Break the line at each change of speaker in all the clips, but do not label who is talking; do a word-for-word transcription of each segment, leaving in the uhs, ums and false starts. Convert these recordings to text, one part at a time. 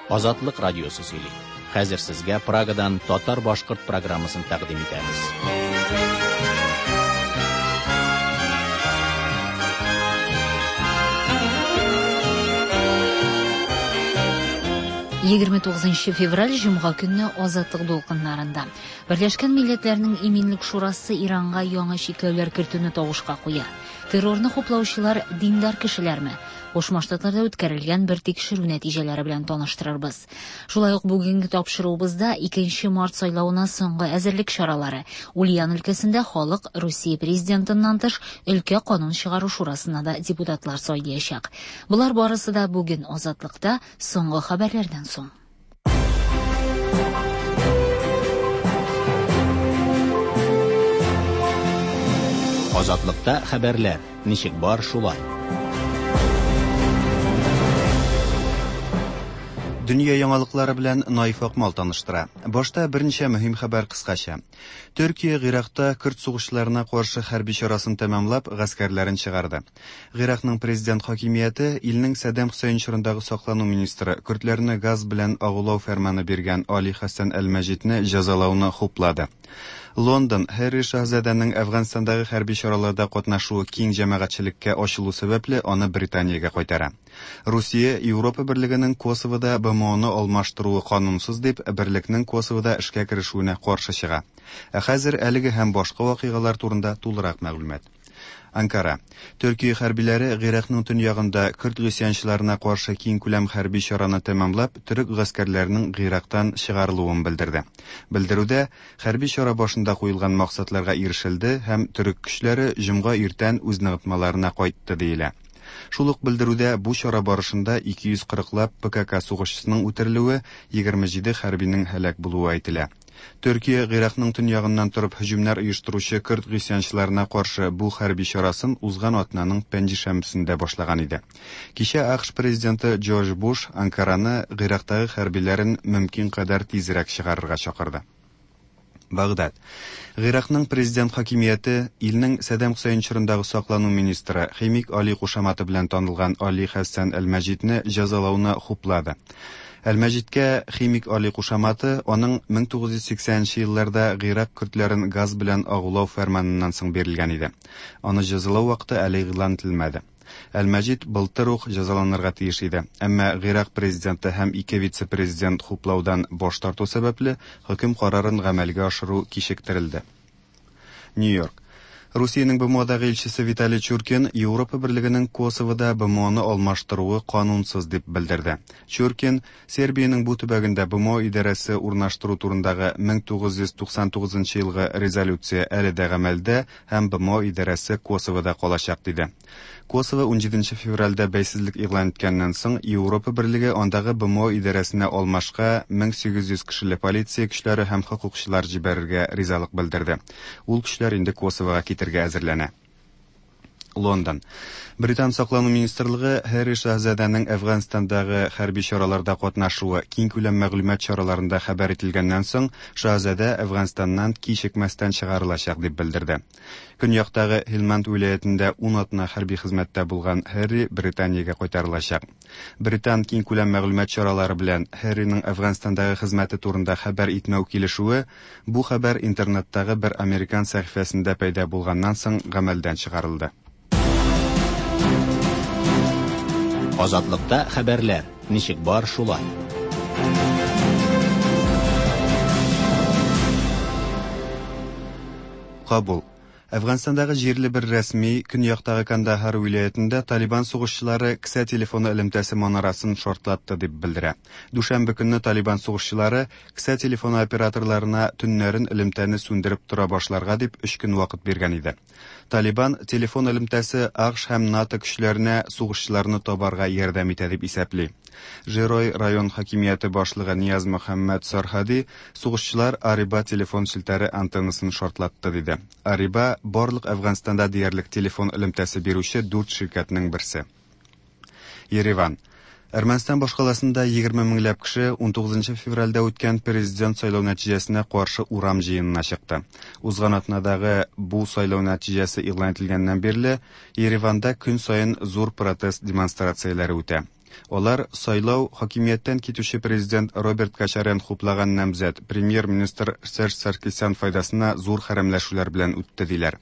Азатлык радиосы сөйли. Хәзер сезгә Прагадан татар-башкорт программасын тәкъдим итәбез.
Егерме тугызынчы февраль җомга көнне Азатлык дулкыннарында. Берләшкән Милләтләрнең Иминлек Шурасы Иранга яңа чикләүләр кертүне тавышка куя. Террорны хуплаучылар диндар кешеләрме? Кушма Штатларда үткәрелгән бер тикшерү нәтиҗәләре белән таныштырырбыз. Шулай ук бүгенге тапшыруыбызда икенче март сайлавына соңгы әзерлек чаралары. Ульян өлкәсендә халык Русия президентыннан тыш өлкә канун чыгару шурасына да депутатлар сайлаячак. Болар барысы да бүген Азатлыкта соңгы хәбәрләрдән соң.
Азатлыкта хәбәрләр ничек бар шулай.
Дөнья яңалыклары белән Наиф Акмал таныштыра. Башта берничә мөһим хәбәр кыскача. Төркия Гыйракта көрд сугышчыларына каршы хәрби чарасын тәмамлап, гаскәрләрен чыгарды. Гыйракның президент хакимияте илнең Саддам Хөсәйн чорындагы саклану министры көрдләрне газ белән агулау фәрманы биргән Али Хәсән Әл-Мәҗидне җәзалауны хуплады. Лондон Һәрри шаһзадәнең Әфганстандагы хәрби чараларда катнашуы киң җәмәгатьчелеккә ачылу сәбәпле аны Британиягә кайтара. Русия Европа берлегенең Косовода Б М Оны алмаштыруы канунсыз дип берлекнең Косовода эшкә керешүенә каршы чыга. Ә хәзер әлеге һәм башка вакыйгалар турында тулырак мәгълүмат. Анкара. Төркия хәрбиләре Гыйракның төньягында көрд гыйсьянчыларына каршы киң күләм хәрби чараны тәмамлап, төрек гаскәрләренең Гыйрактан чыгарылуын белдерде. Белдерүдә хәрби чара башында куелган максатларга ирешелде һәм төрек көчләре җомга иртән үз ныгытмаларына кайтты диелә. Шул ук белдерүдә бу чара барышында ике йөз кырыклап П К К сугышчысының үтерелүе, егерме җиде хәрбинең һәлак булуы әйтелә. Төркия Гыйракның төньягыннан торып һөҗүмнәр оештыручы көрд гыйсьянчыларына каршы бу хәрби чарасын узган атнаның пәнҗешәмбесендә башлаган иде. Кичә А К Ш президенты Джордж Буш Анкараны Гыйрактагы хәрбиләрен мөмкин кадәр тизрәк чыгарырга чакырды. Багдад. Гыйракның президент хакимияте илнең Саддам Хөсәйн чорындагы саклану министры Химик Али кушаматы белән танылган Али Хәсән Әл-Мәҗидне җәзалауны хуплады. Әл-Мәҗидкә Химик Али кушаматы аның мең тугыз йөз сиксәненче елларда Гыйрак көрдләрен газ белән агулау фәрманыннан соң бирелгән иде. Аны җәзалау вакыты әле игълан ителмәде. Әл-Мәҗид былтыр ук җәзаланырга тиеш иде. Әмма Гыйрак президенты һәм ике вице-президент хуплаудан баш тарту сәбәпле хөкем карарын гамәлгә ашыру кичектерелде. Нью-Йорк. Русиянең Б М Одагы илчесе Виталий Чуркин Европа берлегенең Косовода Б М Оны алмаштыруы канунсыз дип белдерде. Чуркин Сербиянең бу төбәгендә Б М О идарәсе урнаштыру турындагы мең тугыз йөз туксан тугызынчы елгы резолюция әле дә гамәлдә һәм Б М О идарәсе Косовода калачак диде. Косово унҗиденче февральдә бәйсезлек игълан иткәннән соң Европа берлеге андагы Б М О идарәсенә алмашка мең сигез йөз кешеле полиция көчләре һәм хокукчылар җибәрергә ризалык белдерде. Ул көчләр инде Косовога китергә әзерләнә. Лондон. Британ саклану министрлыгы Һәрри шаһзадәнең Әфганстандагы хәрби чараларда катнашуы киң күләм мәгълүмат чараларында хәбәр ителгәннән соң шаһзадә Әфганстаннан кичекмәстән чыгарылачак дип белдерде. Көньяктагы Һилманд вилаятендә ун атна хәрби хезмәттә булган Һәрри Британиягә кайтарылачак. Британ киң күләм мәгълүмат чаралары белән Һәрриның Әфганстандагы хезмәте турында хәбәр итмәү килешүе бу хәбәр интернеттагы бер американ сәхифәсендә пәйда булганнан соң гамәлдән чыгарылды.
Азатлыкта хәбәрләр ничек бар шулай.
Кабул. Әфганстандагы җирле бер рәсми көньяктагы Кандахар вилаятендә Талибан сугышчылары кесә телефоны элемтәсе манарасын шартлатты дип белдерә. Дүшәмбе көнне Талибан сугышчылары кесә телефоны операторларына төннәрен элемтәне сүндереп тора башларга дип өч көн вакыт биргән иде. Талибан телефон элемтәсе А К Ш һәм НАТО көчләренә сугышчыларны табарга ярдәм итә дип исәпли. Жирой район хакимияте башлыгы Нияз Мөхәммәд Сархади сугышчылар Ариба телефон челтәре антеннасын шартлатты диде. Ариба барлык Әфганстанда диярлек телефон элемтәсе бирүче дүрт ширкәтнең берсе. Ереван. Әрмәнстан башкаласында егерме меңләп кеше унтугызынчы февральдә үткән президент сайлау нәтиҗәсенә каршы урам җыенына чыкты. Узган атнадагы бу сайлау нәтиҗәсе игълан ителгәннән бирле Ереванда көн саен зур протест демонстрацияләре үтә. Алар сайлау хакимияттән китүче президент Роберт Кочарян хуплаган намзәт премьер-министр Серж Саркисян файдасына зур хәрәмләшүләр белән үтте диләр.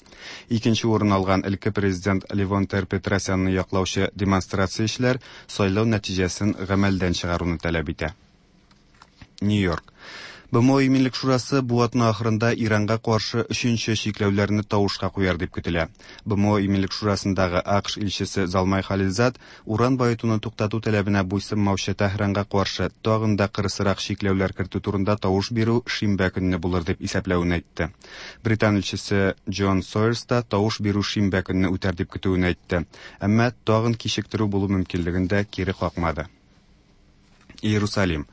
Икенче урын алган элекке президент Левон Тер-Петросянны яклаучы демонстрациячеләр сайлау нәтиҗәсен гамәлдән чыгаруны таләп итә. Нью-Йорк. Б М О Иминлек шурасы бу атна ахырында Иранга каршы өченче чикләүләрне тавышка куяр дип көтелә. Б М О Иминлек шурасындагы А К Ш илчесе Залмай Халилзад уран баетуны туктату таләбенә буйсынмаучы Тәһранга каршы тагын да кырысрак чикләүләр кертү турында тавыш бирү шимбә көнне булыр дип исәпләвен әйтте. Британ илчесе Джон Сойерс та тавыш бирү шимбә көнне үтәр дип көтүен әйтте. Әмма тагын кичектерү булу мөмкинлеген дә кире какмады. Иерусалим.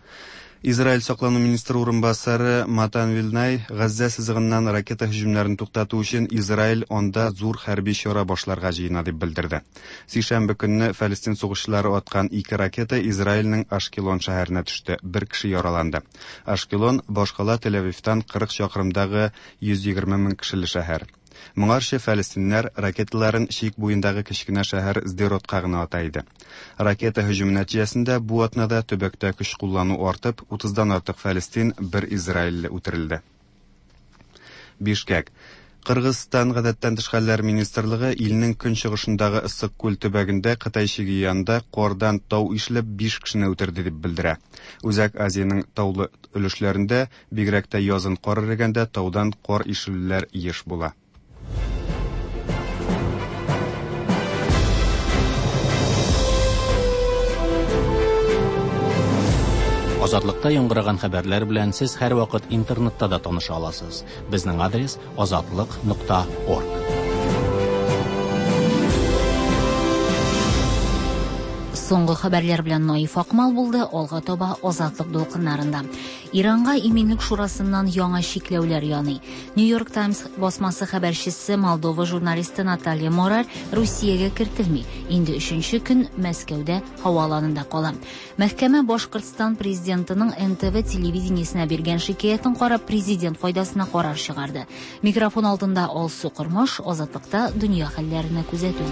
Израиль саклану министры урынбасары Матан Вилнай Газзә сызыгыннан ракета һөҗүмнәрен туктату өчен Израиль анда зур хәрби чара башларга җыена дип белдерде. Сишәмбе көнне Фәлестин сугышчылары аткан ике ракета Израильнең Ашкелон шәһәренә төште. Бер кеше яраланды. Ашкелон башкала Тель-Авивтан кырык чакрымдагы йөз егерме мең кешеле шәһәр. Моңарчы фәлестиннәр ракеталарын чик буендагы кечкенә шәһәр Сдеротка гына ата иде. Ракета һөҗүме нәтиҗәсендә бу атнада төбәктә көч куллану артып, утыздан артык фәлестин, бер израилле үтерелде. Бишкек. Кыргызстан гадәттән тыш хәлләр министрлыгы илнең көнчыгышындагы Ыссык күл төбәгендә Кытай чиге янында кардан тау ишелеп биш кешене үтерде дип белдерә. Үзәк Азиянең таулы өлешләрендә бигрәк тә язын кар эрегәндә таудан кар ишелүләр еш була.
Азатлыкта яңгыраган хәбәрләр белән сез һәрвакыт интернетта да таныша аласыз. Безнең адрес азатлык нокта орг.
Соңгы хәбәрләр белән Наиф Акмал булды, алга таба Азатлык дулкыннарында. Иранга Иминлек шурасыннан яңа чикләүләр яный. New York Times басмасы хәбәрчесе Молдова журналисты Наталья Мораль Русиягә кертелми. Инде өченче көн Мәскәүдә һаваланында кала. Мәхкәмә Башкортстан президентының Н Т В телевидениесенә биргән шикаятен карап президент файдасына карар чыгарды. Микрофон алдында Алсу Кормаш, Азатлыкта дөнья хәлләренә күзәтү.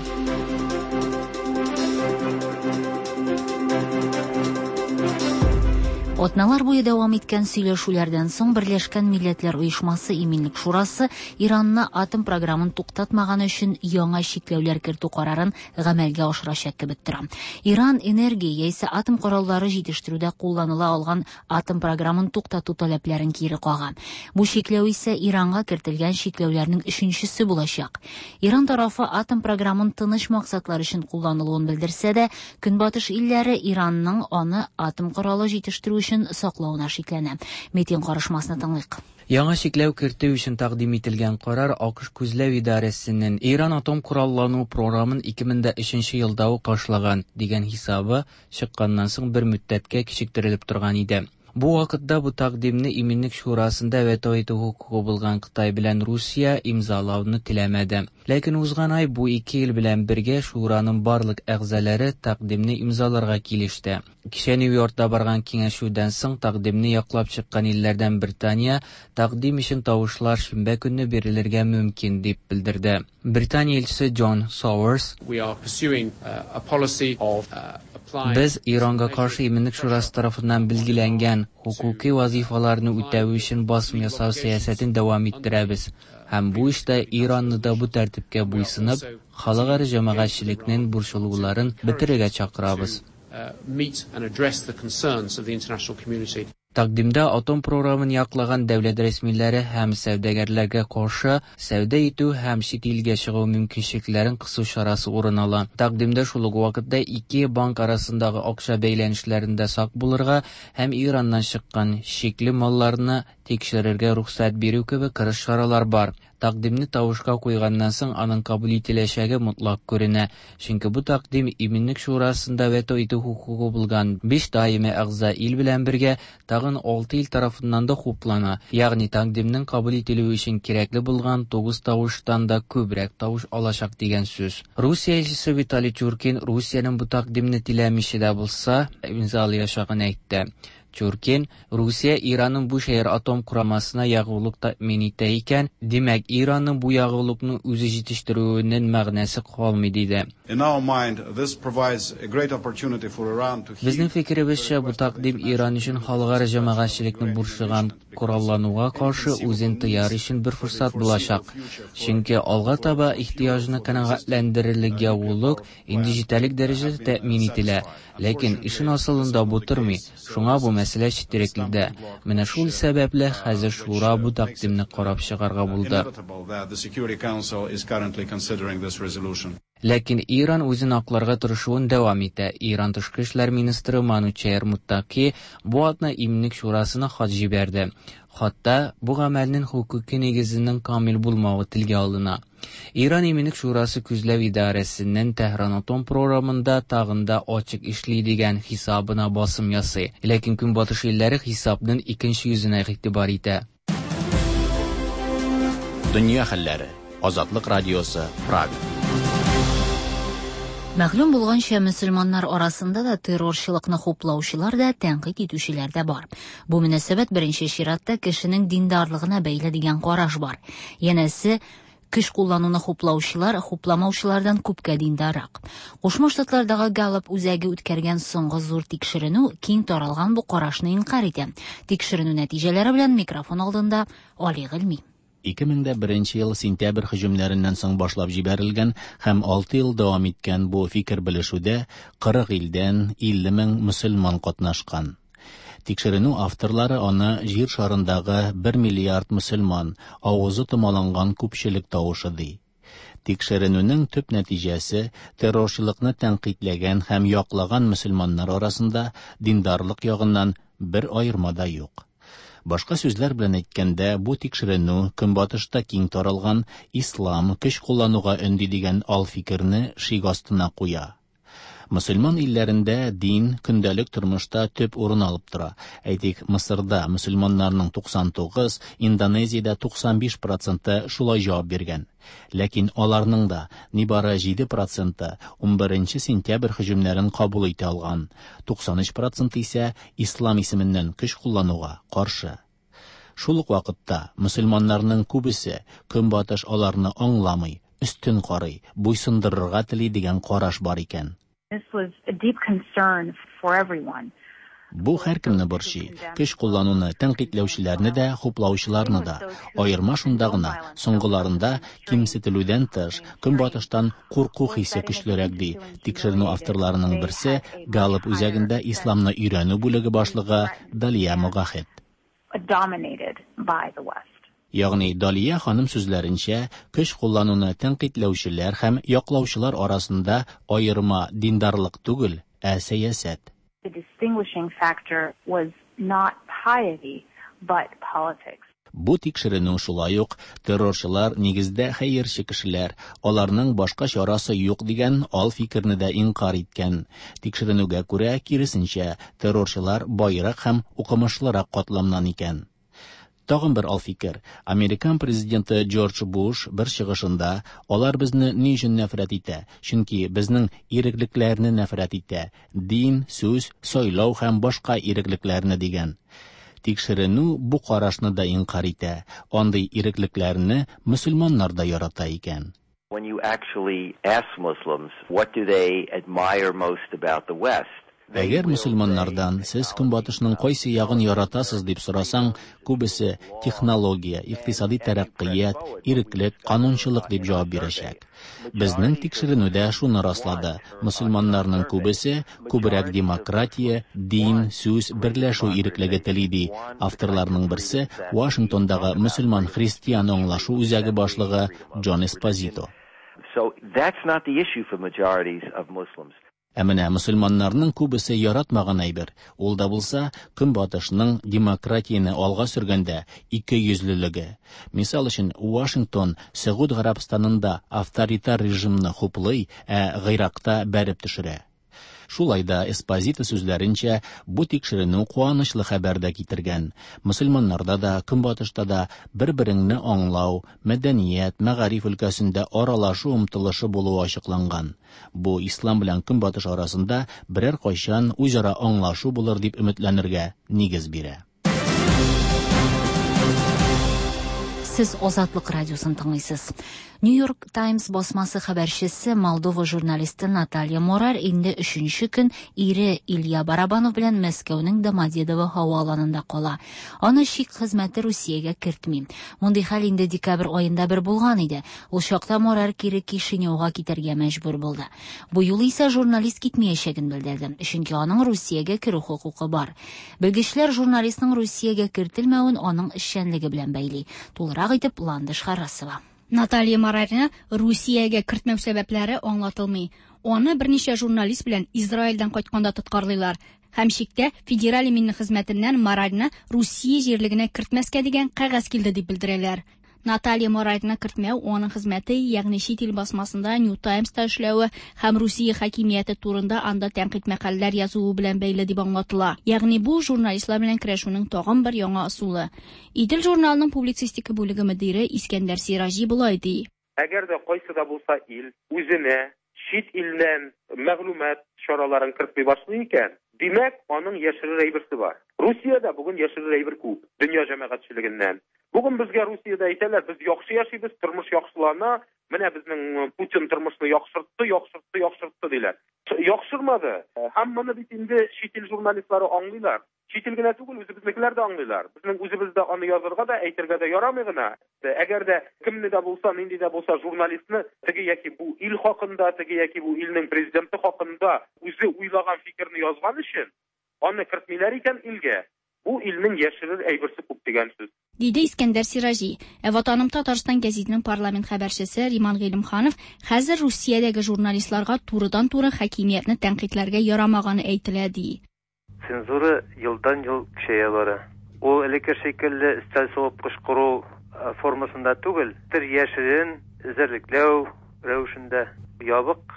Атналар буе дәвам иткән сөйләшүләрдән соң Берләшкән Милләтләр Оешмасы Иминлек Шурасы Иранны атом програмын туктатмаганы өчен яңа чикләүләр кертү карарын гамәлгә ашырачак кебек тора. Иран энергия яисә атом кораллары җитештерүдә кулланыла алган атом програмын туктату таләпләрен кире кага. Бу чикләү исә Иранга кертелгән чикләүләрнең өченчесе булачак. Иран тарафы атом програмын тыныч максатлар өчен кулланылуын белдерсә дә, Көнбатыш илләре Иранның аны атом коралы җитештерү өчен саклавына шикләнә. Метин карышмасны тыңлыйк.
Яңа чикләү кертү өчен тәкъдим ителгән карар А К Ш күзләү идарәсенең Иран атом кораллану програмын ике мең дә өченче елда ук ташлаган дигән хисабы чыкканнан соң бер мөддәткә кичектерелеп торган иде. Бу вакытта бу тәкъдимне Иминлек шурасында вето итү хокукы булган Кытай белән Русия имзалауны теләмәде. Ләкин узган ай бу ике ил белән бергә шураның барлык әгъзалары тәкъдимне имзаларга килеште. Кичә Нью-Йоркта барган киңәшүдән соң тәкъдимне яклап чыккан илләрдән Британия тәкъдим өчен тавышлар шимбә көнне бирелергә мөмкин дип белдерде. Британия илчесе Джон Сауэрс:
We are pursuing, uh, a policy of, uh, applying
Без Иранга каршы Иминлек шурасы тарафыннан билгеләнгән хокуки вазифаларны үтәү өчен басым ясау сәясәтен дәвам иттерәбез. Һәм бу эштә Иранны да бу тәртипкә буйсынып, халыкара җәмәгатьчелекнең борчылуларын бетерергә чакырабыз.
Uh, meet and address the concerns of the international community.
Тәкъдимдә атом програмын яклаган дәүләт рәсмиләре һәм сәүдәгәрләргә каршы сәүдә итү һәм чит илгә чыгу мөмкинчелекләрен кысу чарасы урын ала. Тәкъдимдә шул ук вакытта ике банк арасындагы акча бәйләнешләрендә сак булырга һәм Ираннан чыккан шикле малларны тикшерергә рөхсәт бирү кебек кырыс чаралар бар. Тәкъдимне тавышка куйганнан соң аның кабул ителәчәге мотлак күренә, чөнки бу тәкъдим Иминлек шурасында вето итү хокукы булган биш даими әгъза ил белән бергә тагын алты ил тарафыннан да хуплана, ягъни тәкъдимнең кабул ителүе өчен кирәкле булган тугыз тавыштан да күбрәк тавыш алачак дигән сүз. Русия илчесе Виталий Чуркин Русиянең бу тәкъдимне теләмичә дә булса имзалаячагын әйтте. Çurkin, Rusiya İran'ın Buşehir atom kuramasına yağuluk təmin итә икән, димәк İranның бу ягулыкны үзе җитештерүенең мәгънәсе калмый диде.
In our mind, this provides a great opportunity for Iran to
Безнең фикеребезчә, бу тәкъдим Иран өчен халыкара җәмәгатьчелекне борчыган кораллануга каршы үзен тыяр өчен бер форсат булачак. Чөнки алга таба ихтыяҗны канәгатьләндерерлек ягулык инде җитәрлек дәрәҗәдә тәэмин ителә. Ләкин эшен асылында бу тормый. Шуңа бу мәсьәлә четерекледә. Менә шул сәбәпле хәзер шура бу тәкъдимне карап чыгарга булды.
Inevitable that the Security Council is currently considering this resolution.
Ләкин Иран үзен акларга тырышуын дәвам итә. Иран тышкы эшләр министры Манучер Муттаки бу атна Иминлек шурасына хат җибәрде. Хатта бу гамәлнең хокуки нигезенең камил булмавы телгә алына. Иран Иминлек шурасы күзләү идарәсеннән Тәһран атом програмында тагын да ачык эшли дигән хисабына басым ясый. Ләкин Көнбатыш илләре хисапның икенче йөзенә игътибар итә.
Дөнья хәлләре. Азатлык радиосы, Прага.
Мәгълүм булганча, мөселманнар арасында да террорчылыкны хуплаучылар да, тәнкыйть итүчеләр дә бар. Бу мөнәсәбәт беренче чиратта кешенең диндарлыгына бәйле дигән караш бар. Янәсе, көч куллануны хуплаучылар хупламаучылардан күпкә диндаррак. Кушма Штатлардагы Галлап үзәге үткәргән соңгы зур тикшеренү киң таралган бу карашны инкарь итә. Тикшеренү нәтиҗәләре белән микрофон алдында Али Гыйльми.
ике мең дә беренче ел сентябрь һөҗүмнәреннән соң башлап җибәрелгән һәм алты ел дәвам иткән бу фикер белешүдә кырык илдән илле мең мөселман катнашкан. Тикшеренү авторлары аны җир шарындагы бер миллиард мөселман авызы томаланган күпчелек тавышы ди. Тикшеренүнең төп нәтиҗәсе террорчылыкны тәнкыйтьләгән һәм яклаган мөселманнар арасында диндарлык ягыннан бер аерма да юк. Башка сүзләр белән әйткәндә, бу тикшеренү Көнбатышта киң таралган ислам көч куллануга өнди дигән ал фикерне шик астына куя. Мөселман илләрендә дин көндәлек тормышта төп урын алып тора. Әйтик, Мысырда мөселманнарның туксан тугыз, Индонезиядә туксан биш проценты шулай җавап биргән. Ләкин аларның да нибары җиде проценты унберенче сентябрь һөҗүмнәрен кабул итә алган, туксан өч проценты исә ислам исеменнән көч куллануга каршы. Шул ук вакытта мөселманнарның күбесе Көнбатыш аларны аңламый, өстен карый, буйсындырырга тели дигән караш бар икән.
This was a deep concern for everyone.
Бу һәркемне борчый. Көч куллануны тәнкыйтьләүчеләрне дә, хуплаучыларны да. Аерма шунда гына, соңгыларында кимсетелүдән тыш, Көнбатыштан курку хисе көчлерәк ди. Тикшеренү авторларының берсе Галлап үзәгендә исламны өйрәнү бүлеге башлыгы Далия Могахет.
Dominated by the West.
Ягъни Далия ханым сүзләренчә, көч куллануны тәнкыйтьләүчеләр һәм яклаучылар арасында аерма диндарлык түгел, ә сәясәт.
The distinguishing factor was not piety, but politics.
Бу тикшеренү шулай ук террорчылар нигездә хәерче кешеләр, аларның башка чарасы юк дигән ал фикерне дә инкар иткән. Тикшеренүгә күрә, киресенчә, террорчылар байрак һәм укымышлырак катламнан икән. Тагын бер ал фикер. Американ президенты Джордж Буш бер чыгышында алар безне ни өчен нәфрәт итә? Чөнки безнең иреклекләрне нәфрәт итә. Дин, сүз, сайлау һәм башка иреклекләрне дигән. Тикшеренү бу карашны да инкар итә. Андый иреклекләрне мөселманнар да ярата икән.
When you actually ask Muslims, what do they admire most about the West?
Әгәр мөселманнардан сез Көнбатышның кайсы ягын яратасыз дип сорасаң, күбесе технология, икътисади тәрәккыят, иреклек, канунчылык дип җавап бирәчәк. Безнең тикшеренүдә шуны раслады. Мөселманнарның күбесе күбрәк демократия, дин, сүз, берләшү иреклеге тели ди. Авторларның берсе Вашингтондагы мөселман христиан аңлашу үзәге башлыгы Джон Эспозито.
So that's not the issue for majorities of Muslims.
Ә менә мөселманнарның күбесе яратмаган әйбер, ул да булса Көнбатышның демократияне алга сөргәндә ике йөзлелеге. Мисал өчен, Вашингтон Сәгуд Гарәбстанында авторитар режимны хуплый, ә Гыйракта бәреп төшерә. Шулай да Эспозито сүзләренчә, бу тикшеренү куанычлы хәбәр дә китергән. Мөселманнарда да, Көнбатышта да бер-береңне аңлау, мәдәният, мәгариф өлкәсендә аралашу омтылышы булуы ачыкланган. Бу ислам белән Көнбатыш арасында берәр кайчан үзара аңлашу булыр дип өметләнергә нигез бирә.
Сез Азатлык радиосын тыңлыйсыз. New York Times басмасы хәбәрчесе Молдова журналисты Наталья Морарь инде өченче көн ире Илья Барабанов белән Мәскәүнең Домодедово һава аланында кала. Аны чик хезмәте Русиягә кертми. Мондый хәл инде декабрь аенда бер булган иде. Ул чакта Морарь кире Кишиневга китәргә мәҗбүр булды. Бу юлы исә журналист китмәячәген белдерде, чөнки аның Русиягә керү хокукы бар. Белгечләр журналистның Русиягә кертелмәвен аның эшчәнлеге белән бәйли. Тулырак итеп Ландыш Харасова.
Наталья Морарьны Русиягә кертмәү сәбәпләре аңлатылмый. Аны берничә журналист белән Израильдән кайтканда тоткарлыйлар. Һәм чиктә Федераль иминлек хезмәтеннән Морарьны Русия җирлегенә кертмәскә дигән кәгазь килде дип белдерәләр. Наталья Морарьны кертмәү аның хезмәте, ягъни чит ил басмасында New Times'та эшләве һәм Русия хакимияте турында анда тәнкыйть мәкаләләр язуы белән бәйле дип аңлатыла. Ягъни бу журналистлар белән көрәшүнең тагын бер яңа ысулы. Идел журналының публицистика бүлеге мөдире Искәндәр Сираҗи болай ди.
Әгәр дә кайсы да булса ил үзенә чит илдән мәгълүмат чараларын кертми башлый икән, димәк, аның яшерер әйберсе бар. Русиядә бүген яшерер әйбер күп, дөнья җәмәгатьчелегеннән. Бүген безгә Русиядә әйтәләр, без яхшы яшибез, тормыш яхшылана, менә безнең Путин тормышны яхшыртты, яхшыртты, яхшыртты диләр. Яхшырмады. Һәм моны бит инде чит ил журналистлары аңлыйлар. Чит ил генә түгел, үзебезнекеләр дә аңлыйлар. Безнең үзебездә аны язырга да, әйтергә дә ярамый гына. Әгәр дә кемне дә булса, нинди дә булса журналистны теге яки бу ил хакында, теге яки бу илнең президенты хакында үзе уйлаган фикерне язган өчен аны кертмиләр икән илгә, бу илнең яшерер әйберсе күп дигән сүз.
Диде Искәндәр Сираҗи. Ә Ватаным Татарстан гәзитенең парламент хәбәрчесе Риман Гыйлемханов хәзер Русиядәге журналистларга турыдан-туры хакимиятне тәнкыйтьләргә ярамаганы әйтелә ди.
Цензура елдан-ел көчәя бара. Ул элекке шикелле өстәл сугып кычкыру формасында түгел, бер яшерен эзәрлекләү рәвешендә ябык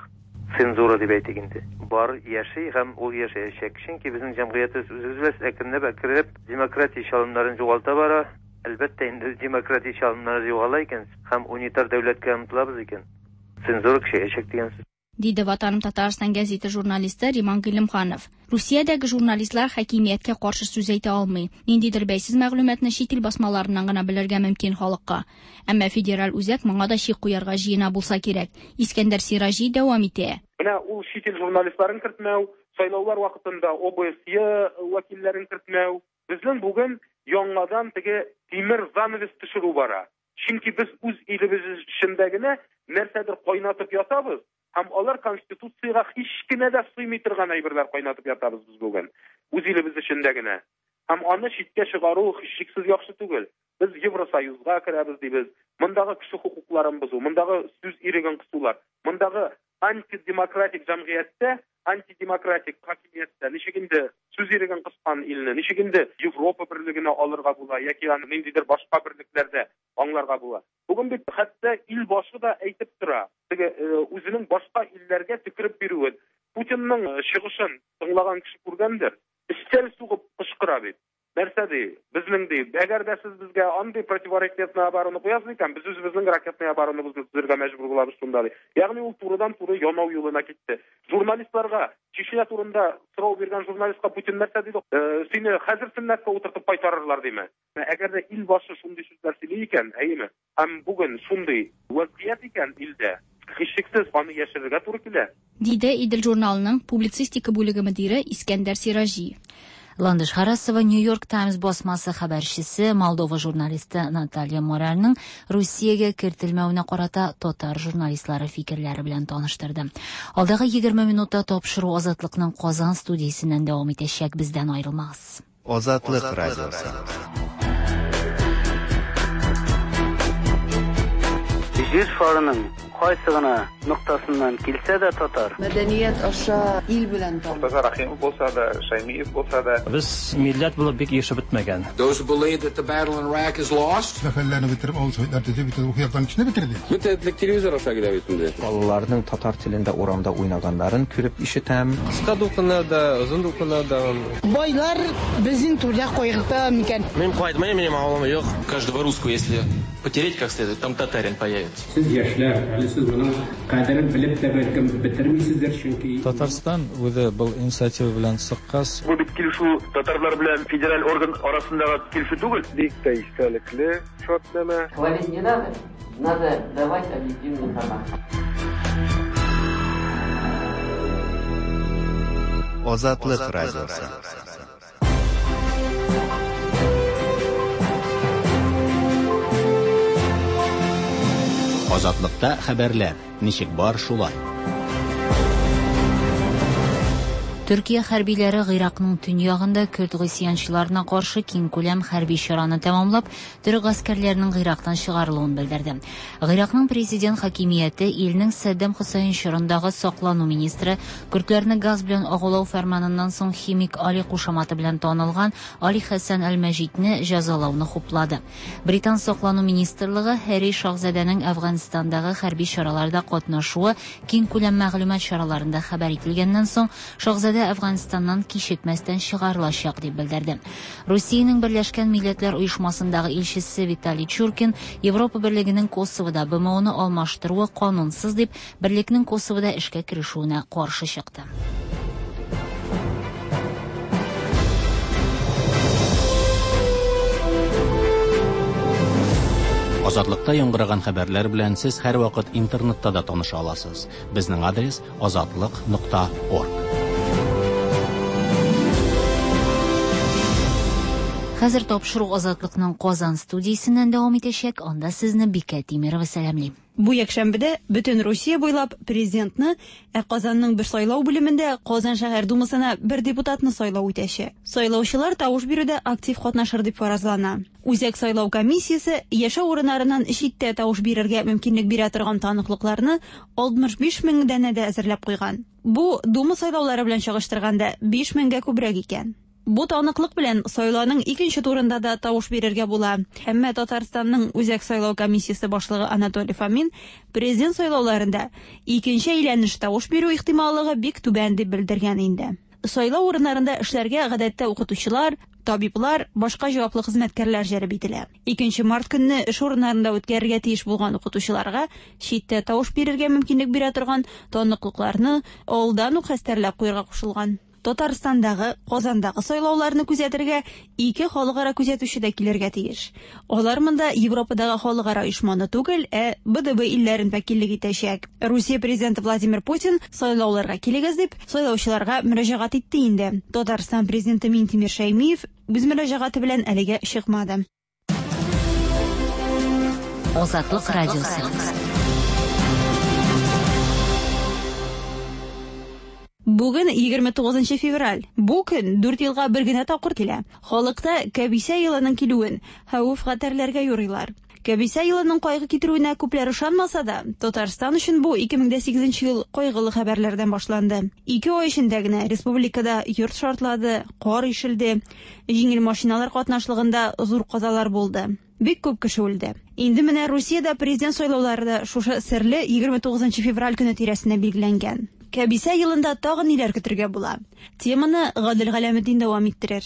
цензура дип әйтик инде. Бар яши һәм ул яшәячәк. Чөнки безнең җәмгыятебез үзебез әкренләп әкренләп демократия чалымнарын югалта бара. Әлбәттә инде демократия чалымнары югала икән һәм унитар дәүләткә омтылабыз икән, цензура көчәячәк дигән сүз.
Диде Ватаным Татарстан гәзите журналисты Риман Гыйлемханов. Русиядәге журналистлар хакимияткә каршы сүз әйтә алмый. Ниндидер бәйсез мәгълүматны чит ил басмаларыннан гына белергә мөмкин халыкка. Әмма федераль үзәк моңа да чик куярга җыена булса кирәк. Искәндәр Сираҗи дәвам итә.
Менә ул чит ил журналистларын кертмәү, сайлаулар вакытында ОБСЕ вәкилләрен кертмәү. Безнең бүген яңадан теге тимер занавес төшерү бара. Чөнки без үз илебез эчендә генә нәрсәдер кайнатып ятабыз. Һәм алар конституциягә һич кенә дә сыймый торган әйберләр кайнатып ятабыз без бүген. Үз илебез эчендә генә. Һәм аны читкә чыгару һичшиксез яхшы түгел. Без Евросоюзга керәбез дибез. Мондагы кеше хокукларын бозу, мондагы сүз иреген кысулар, мондагы антидемократик җәмгыятьтә, антидемократик хакимияттә ничек инде сүз иреген кыскан илне, ничек инде Европа берлегенә алырга була яки аны ниндидер башка берлекләрдә аңларга була. Бүген бит хәтта ил башы да әйтеп тора, теге үзенең башка илләргә төкереп бирүен. Путинның чыгышын тыңлаган кеше күргәндер, өстәл сугып кычкыра бит. Нәрсә ди? Безнең ди, әгәр дә сез безгә андый противоракетный оборона куясыз икән, без үзебезнең ракетный оборонабызны төзергә мәҗбүр булабыз шунда ди. Ягъни ул турыдан-туры янау юлына китте. Журналистларга Чечня турында сорау биргән журналистка Путин нәрсә диде? Сине хәзер сөннәткә утыртып кайтарырлар диме? Әгәр дә ил башы шундый сүзләр сөйли икән, әйеме? Һәм бүген шундый вазгыять икән илдә, һичшиксез аны яшерергә туры килә.
Диде Идел журналының публицистика бүлеге мөдире Искәндәр Сираҗи.
Ландыш Харасова New York Times басмасы хәбәрчесе Молдова журналисты Наталья Морарьның Русиягә кертелмәвенә карата татар журналистлары фикерләре белән таныштырды. Алдагы егерме минутта тапшыру Азатлыкның Казан студиясеннән дәвам итәчәк, бездән аерылмагыз.
Азатлык радиосы.
Җир шарының
кайсы гына ноктасыннан килсә дә татар.
Мәдәният аша ил белән таныш.
Мортаза Рахимов булса да, Шаймиев булса да.
Без милләт булып бик ешып бетмәгән.
Those who believe that the battle in Iraq is lost.
Хәлләрне бетереп, авыл советлар төзеп, бит рухи яктан кешене бетерде.
Бөтен телевизор аша килә бит инде.
Балаларның татар телендә урамда уйнаганнарын күреп ишетәм.
Кыска дулкыннарда, озын дулкыннарда.
Байлар безнең түрдә кайгырта микән?
Мин кайтмыйм, минем авылым юк.
Каждого русского, если потереть как следует, там татарин появится.
Сез яшьләр, әле сез моның кадерен белеп тә бәлкем бетермисездер, чөнки
Татарстан үзе был инициатива белән чыккач.
Бу бит килешү татарлар белән федераль орган арасындагы килешү түгел.
Бик тә истәлекле шартнамә.
Хвалить не надо, надо давать объективную информацию.
Азатлык радиосы.
Азатлыкта хәбәрләр ничек бар шулай.
Төркия хәрбиләре Гыйракның төньягында көрд гыйсьянчыларына каршы киңкүләм хәрби чараны тәмамлап, төрек гаскәрләренең Гыйрактан чыгарылуын белдерде. Гыйракның президент хакимияте илнең Саддам Хөсәйн чорындагы саклану министры көрдләрне газ белән агулау фәрманыннан соң химик Али кушаматы белән танылган Али Хәсән әл-Мәҗидне җәзалауны хуплады. Британ саклану министрлыгы Һәрри шаһзадәнең Әфганстандагы хәрби чараларда катнашуы киңкүләм мәгълүмат чараларында хәбәр ителгәннән соң шаһзадә Әфганстаннан кичекмәстән чыгарылачак дип белдерде. Русиянең Берләшкән Милләтләр Оешмасындагы илчесе Виталий Чуркин Европа Берлегенең Косовода Б М О-ны алмаштыруы канунсыз дип, берлекнең Косовода эшкә керешүенә каршы чыкты.
Азатлыкта яңгыраган хәбәрләр белән сез һәрвакыт интернетта да таныша аласыз. Безнең адрес азатлык нокта орг.
Хәзер тапшыру Азатлыкның Казан студиясеннән дәвам итәчәк. Анда сезне Бикә Тимирова сәламли.
Бу якшәмбедә бөтен Русия буйлап президентны, ә Казанның бер сайлау бүлемендә Казан шәһәр думасына бер депутатны сайлау үтәчәк. Сайлаучылар тавыш бирүдә актив катнашыр дип фаразлана. Үзәк сайлау комиссиясе яшәү урыннарыннан читтә тавыш бирергә мөмкинлек бирә торган таныклыкларны алтмыш биш мең данәдә әзерләп куйган. Бу дума сайлаулары белән чагыштырганда биш меңгә күбрәк икән. Бу таныклык белән сайлауның икенче турында да тавыш бирергә була. Әмма Татарстанның Үзәк сайлау комиссиясе башлыгы Анатолий Фомин президент сайлауларында икенче әйләнеш тавыш бирү ихтималлыгы бик түбән дип белдергән инде. Сайлау урыннарында эшләргә гадәттә укытучылар, табиблар, башка җаваплы хезмәткәрләр җәлеп ителә. Икенче март көнне эш урыннарында үткәрергә тиеш булган укытучыларга читтә тавыш бирергә мөмкинлек бирә торган таныклыкларны алдан ук хәстәрләп куярга кушылган. Татарстандагы, Казандагы сайлауларны күзәтергә ике халыкара күзәтүче дә килергә тиеш. Алар монда Европадагы халыкара оешманы түгел, ә Б Д Б илләрен вәкиллек итәчәк. Русия президенты Владимир Путин сайлауларга килегез дип сайлаучыларга мөрәҗәгать итте инде. Татарстан президенты Минтимер Шәймиев үз мөрәҗәгате белән әлегә чыкмады.
Азатлык радиосы.
Бүген егерме тугызынчы февраль. Бу көн дүрт елга бер генә тапкыр килә. Халыкта кәбисә елының килүен хәвеф-хәтәрләргә юрыйлар. Кәбисә елының кайгы китерүенә күпләр ышанмаса да, Татарстан өчен бу ике мең дә сигезенче ел кайгылы хәбәрләрдән башланды. Ике ай эчендә генә республикада йорт шартлады, кар ишелде, җиңел машиналар катнашлыгында зур казалар булды. Бик күп кеше үлде. Инде менә Русиядә президент сайлаулары да шушы серле егерме тугызынчы февраль көне тирәсенә билгеләнгән. Кәбисә елында тагын ниләр көтергә була? Теманы Гадел Галәметдин дәвам иттерер.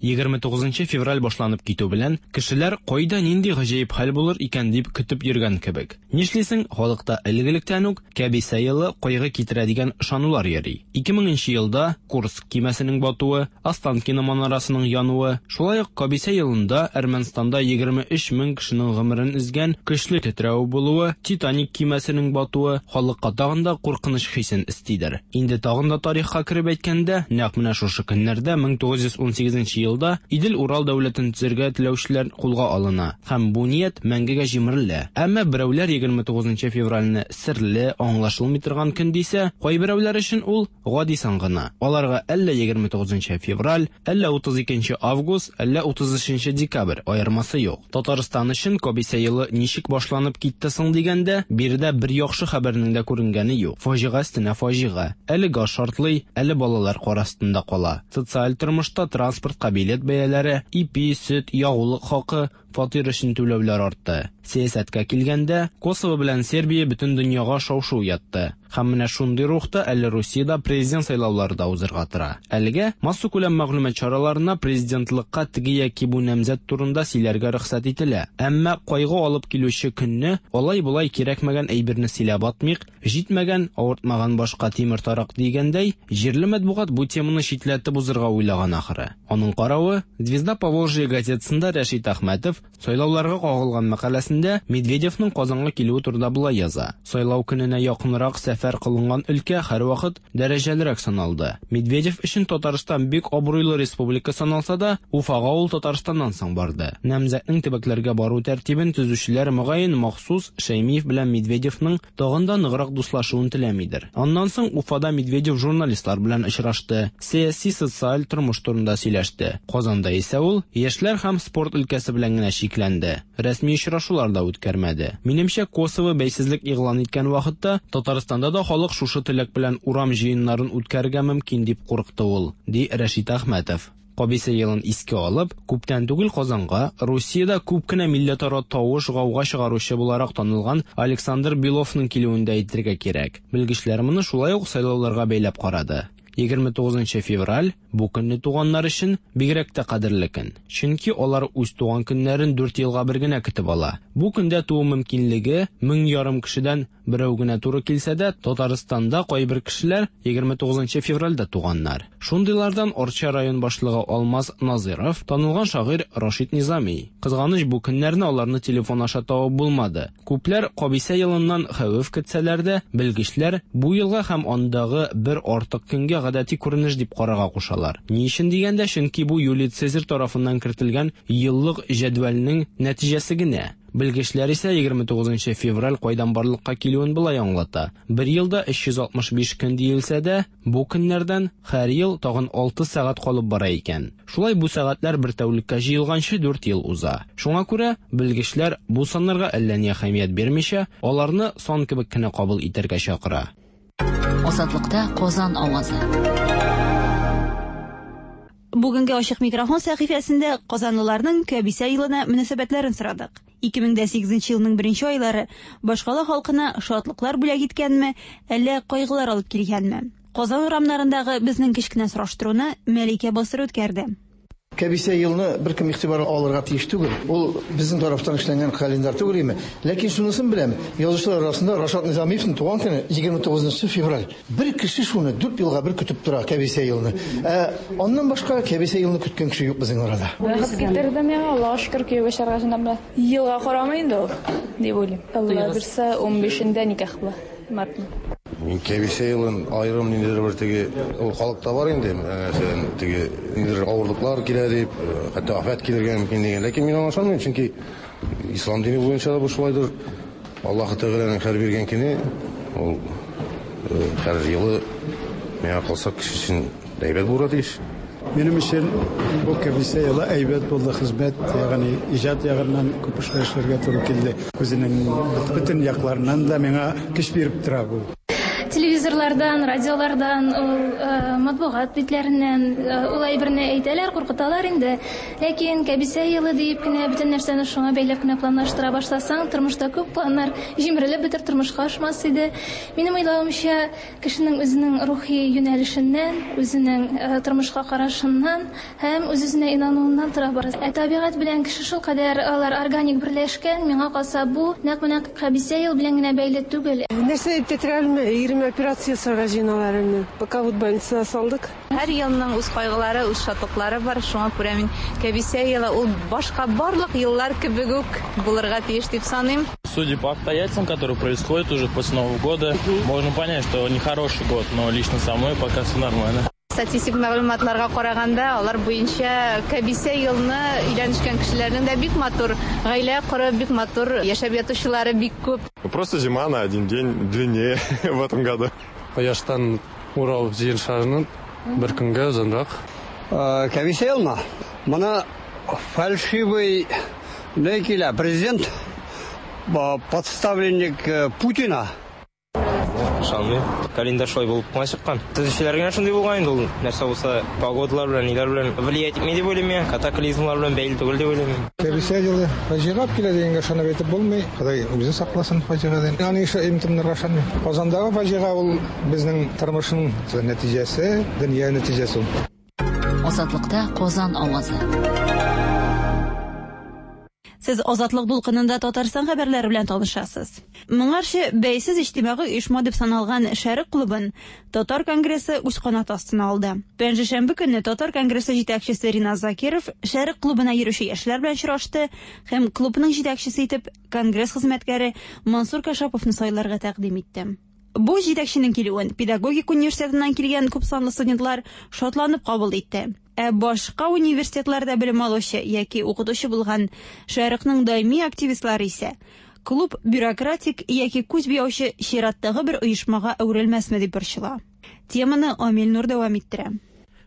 егерме тугызынчы февраль башланып китү белән кешеләр кайда нинди гаҗәеп хәл булыр икән дип көтеп йөргән кебек. Нишлисең, халыкта элек-электән үк кәбисә елы кайгы китерә дигән ышанулар йөри. ике меңенче елда Курск кимәсенең батуы, Останкино манарасының януы, шулай ук кәбисә елында Әрмәнстанда егерме өч мең кешенең гомерен өзгән көчле тетрәү булуы, Титаник кимәсенең батуы халыкка тагын да куркыныч хисен өстидер. Инде тагын да тарихка кереп әйткәндә, нәкъ менә шушы көннәрдә мең тугыз йөз ун сигезенче елда Идел-Урал дәүләтен төзергә теләүчеләр кулга алына һәм бу ният мәңгегә җимерелә. Әмма берәүләр егерме тугызынчы февральне серле, аңлашылмый торган көн дисә, кайберәүләр өчен ул гади сан гына. Аларга әллә егерме тугызынчы февраль, әллә утыз икенче август, әллә утыз өченче декабрь аермасы юк. Татарстан өчен кабисә елы ничек башланып китте соң дигәндә, биредә бер яхшы хәбәрнең дә күренгәне юк. Фаҗига өстенә фаҗига. Әле газ шартлый, әле балалар кар астында кала. Социаль тормышта транспортка билет бәяләре, ипи, сөт, ягулык хакы, фатир өчен түләүләр артты. Сәясәткә килгәндә, Косово белән Сербия бөтен дөньяга шау-шу уятты. Һәм менә шундый рухта әле Русиядә президент сайлаулары да узырга тора. Әлегә массакүләм мәгълүмат чараларына президентлыкка теге яки бу намзәт турында сөйләргә рөхсәт ителә. Әмма кайгы алып килүче көнне алай-болай кирәкмәгән әйберне сөйләп атмыйк, җитмәгән, авыртмаган башка тимер тарак дигәндәй, җирле матбугат бу теманы читләтеп узырга уйлаган ахыры. Аның каравы, Звезда Поволжья газетасында Рәшит Әхмәтов сайлауларга кагылган мәкаләсендә Медведевның Казанга килүе турында болай яза. Сайлау көненә якынрак сәфәр кылынган өлкә һәрвакыт дәрәҗәлерәк саналды. Медведев өчен Татарстан бик абруйлы республика саналса да, Уфага ул Татарстаннан соң барды. Намзәтнең төбәкләргә бару тәртибен төзүчеләр мөгаен махсус Шәймиев белән Медведевның тагын да ныграк дуслашуын теләмидер. Аннан соң Уфада Медведев журналистлар белән очрашты, сәяси социаль тормыш турында сөйләште. Казанда исә ул яшьләр һәм спорт өлкәсе белән генә чикләнде. Рәсми очрашулар да үткәрмәде. Минемчә, Косово бәйсезлек игълан иткән вакытта Татарстанда да халык шушы теләк белән урам җыеннарын үткәрергә мөмкин дип курыкты ул, ди Рәшит Әхмәтов. Кабисә елын искә алып, күптән түгел Казанга Русиядә күп кенә милләтара тавыш гауга чыгаручы буларак танылган Александр Беловның килүен дә әйтергә кирәк. Белгечләр моны шулай ук сайлауларга бәйләп карады. егерме тугызынчы февраль бу көнне туганнар өчен бигрәк тә кадерле көн. Чөнки алар үз туган көннәрен дүрт елга бер генә көтеп ала. Бу көндә туу мөмкинлеге мең ярым кешедән берәү генә туры килсә дә, Татарстанда кайбер кешеләр егерме тугызынчы февральдә туганнар. Шундыйлардан Арча район башлыгы Алмаз Назиров, танылган шагыйрь Рашид Низами. Кызганыч, бу көннәрне аларны телефон аша табып булмады. Күпләр кабисә елыннан хәвеф көтсәләр дә, белгечләр бу елга һәм андагы бер артык көнгә гадәти күренеш дип карарга кушалар. Ни өчен дигәндә, чөнки бу Юлий Цезарь тарафыннан кертелгән еллык җәдвәлнең нәтиҗәсе генә. Белгечләр исә егерме тугызынчы февраль кайдан барлыкка килүен болай аңлата. Бер елда өч йөз алтмыш биш көн диелсә дә, бу көннәрдән һәр ел тагын алты сәгать калып бара икән. Шулай бу сәгатьләр бер тәүлеккә җыелганчы дүрт ел уза. Шуңа күрә белгечләр бу саннарга әллә ни әһәмият бирмичә, аларны сан кебек кенә кабул итәргә чакыра.
Азатлыкта Казан авазы.
Бүгенге ачык микрофон сәхифәсендә казанлыларның кәбисә елына мөнәсәбәтләрен сорадык. ике мең дә сигезенче елның беренче айлары башкала халкына шатлыклар бүләк иткәнме, әллә кайгылар алып килгәнме? Казан урамнарындагы безнең кечкенә сораштыруны Мәликә Басыр үткәрде.
Кәбисә елны бер кем игътибарга алырга тиеш түгел. Ул безнең тарафтан эшләнгән календарь түгел име. Ләкин шунысын беләм, язучылар арасында Рашат Низамиевның туган көне егерме тугызынчы февраль. Бер кеше шуны дүрт елга бер көтеп тора кәбисә елны. Ә аннан башка кәбисә елны көткән кеше юк безнең арада.
Бәхет китерде миңа, Аллаһка шөкер, кияүгә чыгарга җыенам. Елга карамый инде ул, дип уйлыйм. Алла бирсә, унбишендә никах була. Мартның.
Мин кәбисә елын аерым ниндидер бер теге ул халыкта бар инде, мәсәлән, теге ниндидер авырлыклар килә дип, хәтта афәт килергә мөмкин дигән. Ләкин мин аңа ышанмыйм, чөнки ислам дине буенча да бу шулайдыр. Аллаһ Тәгаләнең һәр биргән көне ул һәр елы миңа калса кеше өчен әйбәт булырга тиеш.
Минем өчен бу кәбисә елы әйбәт булды, хезмәт, ягъни иҗат ягыннан күп эшләр эшләргә туры килде. Үзенең бөтен якларыннан да миңа көч биреп тора бу.
Телевизорлардан, радиолардан, ул матбугат битләреннән ул әйберне әйтәләр, куркыталар инде. Ләкин кәбисә елы диеп кенә бөтен нәрсәне шуңа бәйләп кенә планлаштыра башласаң, тормышта күп планнар җимерелеп бетер, тормышка ашмас иде. Минем уйлавымча, кешенең үзенең рухи юнәлешеннән, үзенең тормышка карашыннан һәм үз-үзенә инануыннан тора бара. Ә табигать белән кеше шул кадәр алар органик берләшкән, миңа калса бу нәкъ менә кәбисә ел белән генә бәйле түгел.
Нәрсә дип тетрәлме? Ирем операция ясарга җыеналар инде. Пока вот больницага салдык.
Һәр елның үз кайгылары, үз шатлыклары бар. Шуңа күрә мин кәбисә елы ул башка барлык еллар кебек үк булырга тиеш дип саныйм.
Судя по обстоятельствам, которые происходят уже после Нового года, можно понять, что нехороший год, но лично со мной пока все нормально.
Статистик мәгълүматларга караганда, алар буенча кәбисә елны өйләнешкән кешеләрнең дә бик матур гаилә корып, бик матур яшәп ятучылары бик күп.
Просто зима на один день длиннее в этом году.
Кояштан Урал җир шарының бер көнгә озынрак.
Кәбисә елмы? Моны фальшивый не килә, президент подставленник Путина.
Ышанмыйм. Календарь шулай булып кына чыккан. Төзүчеләр генә шундый булган инде ул. Нәрсә булса, погодалар белән, ниләр белән влиять итми дип уйлыйм мин. Катаклизмлар белән бәйле түгел дип уйлыйм.
Кәбисә елы фаҗига килә дигәнгә ышанып әйтеп булмый. Ходай үзе сакласын фаҗигадан. Аны имтимнәргә ышанмыйм. Казандагы фаҗига ул безнең тормышның нәтиҗәсе, дөнья нәтиҗәсе ул.
Азатлыкта Казан авазы.
Сез Азатлык дулкынында Татарстан хәбәрләре белән танышасыз. Моңарчы бәйсез иҗтимагый оешма дип саналган Шәрык клубын Татар конгрессы үз канаты астына алды. Пәнҗешәмбе көнне Татар конгрессы җитәкчесе Ринат Закиров Шәрык клубына йөрүче яшьләр белән очрашты һәм клубның җитәкчесе итеп конгресс хезмәткәре Мансур Кашаповны сайларга тәкъдим итте. Бу җитәкченең килүен педагогик университетыннан килгән күпсанлы студентлар шатланып кабул итте. Ә башка университетларда белем алучы яки укытучы булган Шәрыкның даими активистлары исә клуб бюрократик яки күз буяучы чираттагы бер оешмага әверелмәсме дип борчыла. Теманы Амил Нур дәвам иттерә.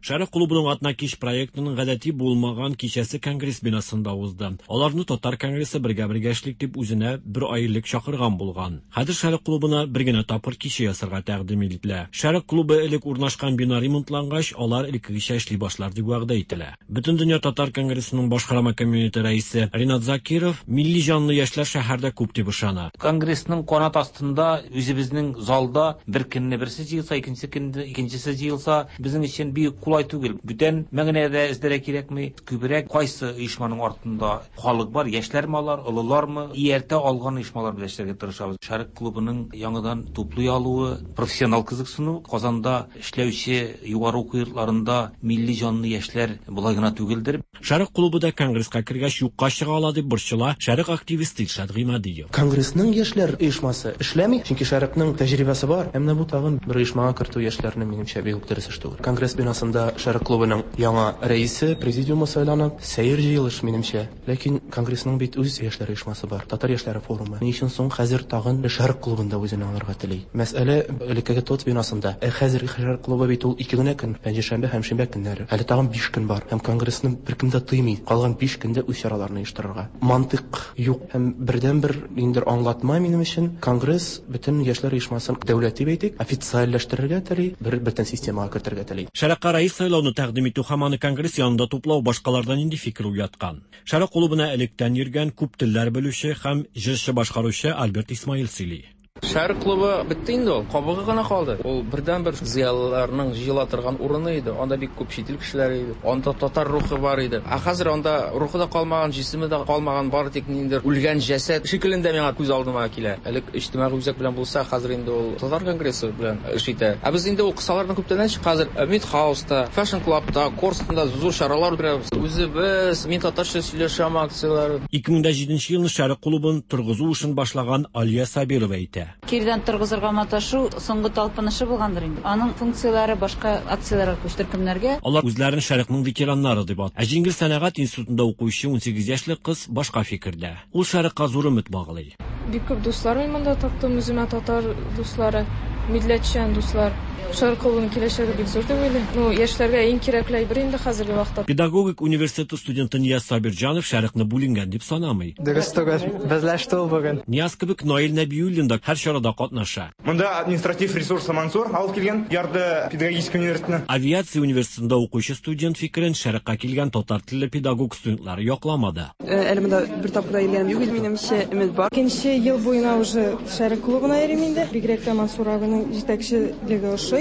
Шәрык клубының атна кич проектының гадәти булмаган кичәсе конгресс бинасында узды. Аларны Татар конгрессы бергә-бергә эшлик дип үзенә бер ай элек чакырган булган. Хәзер Шәрык клубына бер генә тапкыр кичә ясарга тәкъдим ителә. Шәрык клубы элек урнашкан бина ремонтлангач, алар элеккегечә эшли башлар дип вәгъдә ителә. Бөтендөнья Татар конгрессының башкарма комитеты рәисе Ринат Закиров милли җанлы яшьләр шәһәрдә күп дип ышана.
Конгрессның канат астында үзебезнең залда бер көнне берсе җыелса, икенче көнне икенчесе җыелса, безнең өчен бик кулай түгел. Бүтән мәгънәдә эзләргә кирәкми. Күбрәк кайсы оешманың артында халык бар, яшьләрме алар, олылармы, ияртә алган оешмалар белән эшләргә тырышабыз. Шәрык клубының яңадан туплый алуы, профессионал кызыксыну, Казанда эшләүче югары уку йортларында милли җанлы яшьләр болай гына түгелдер.
Шәрык клубы да конгресска кергәч юкка чыга ала дип борчыла Шәрык активисты Илшат Гыймадиев.
Конгрессның яшьләр оешмасы эшләми, чөнки Шәрыкның тәҗрибәсе бар. Ә менә бу тагын бер оешмага кертү яшьләрне минемчә бик үк дөрес эш түгел. Конгресс бинасында Шәрык клубының яңа рәисе президиумы сайланып, сәер җыелыш минемчә. Ләкин конгрессның бит үз яшьләр оешмасы бар, Татар яшьләре форумы. Ни өчен соң хәзер тагын Шәрык клубында үзен алырга тели? Мәсьәлә элеккеге ТОТ бинасында. Ә хәзерге Шәрык клубы бит ул ике генә көн, пәнҗешәмбе һәм шимбә көннәре. Әле тагын биш көн бар. Һәм конгрессны беркем дә тыймый. Калган биш көндә үз чараларын оештырырга. Мантык юк. Һәм бердән-бер ниндидер аңлатма минем өчен конгресс бөтен яшьләр оешмасын дәүләт дип әйтик, официальләштерергә тели, бер бөтен системага кертергә тели.
Шәрыкка рәис сайлауны тәкъдим итү һәм аны конгресс янында туплау башкалардан нинди фикер уяткан? Шәрык клубына электән йөргән күп телләр белүче һәм җырчы башкаручы Альберт Исмаил сөйли.
Шәрык клубы бетте инде ул, кабыгы гына калды. Ул бердән-бер зыялыларның җыела торган урыны иде. Анда бик күп чит ил кешеләре иде. Анда татар рухы бар иде. Ә хәзер анда рухы да калмаган, җисеме дә калмаган, бары тик ниндидер үлгән җәсәд шикелендә миңа күз алдыма килә. Элек иҗтимагый үзәк белән булса, хәзер инде ул Татар конгрессы белән эш итә. Ә без инде ул кысалардан күптәннән чык, хәзер Мидхауста, Fashion Clubта, Корстонда зур чаралар үткәрәбез. Үзебез мин татарча сөйләшәм акцияләре.
ике мең җиденче елны Шәрык клубын торгызу эшен башлаган Алия Сабирова әйтә.
Кирдән торгызырга маташу соңгы талпынышы булгандыр инде. Аның функцияләре башка акцияләргә күчте, төркемнәргә.
Алар үзләрен Шәрыкның ветераннары дип атый. Ә Җиңел сәнәгать институтында укучы унсигез яшьлек кыз башка фикердә. Ул Шәрыкка зур өмет баглый.
Бик күп дуслар мин монда таптым, үземә татар дуслары, милләтчән дуслар. Шәрык клубының киләчәге бик зур дип уйлыйм. Ну, яшьләргә иң кирәкле әйбер инде хәзерге вакытта.
Педагогик университеты студенты Нияз Сабирҗанов Шәрыкны бүленгән дип санамый.
Дөрес түгел, безләште ул бүген.
Нияз кебек Наил Нәбиуллин да һәр чарада катнаша.
Монда административ ресурсы Мансур алып килгән, ярды педагогический университетны.
Авиация университетында укучы студент фикерен Шәрыкка килгән татар телле педагог студентлары якламады.
Әле монда бер тапкыр да килгәнем юк, минемчә өмет бар.
Икенче ел буена уже Шәрык клубына йөрим инде. Бигрәк тә Мансур абының җитәкчелеге ошый.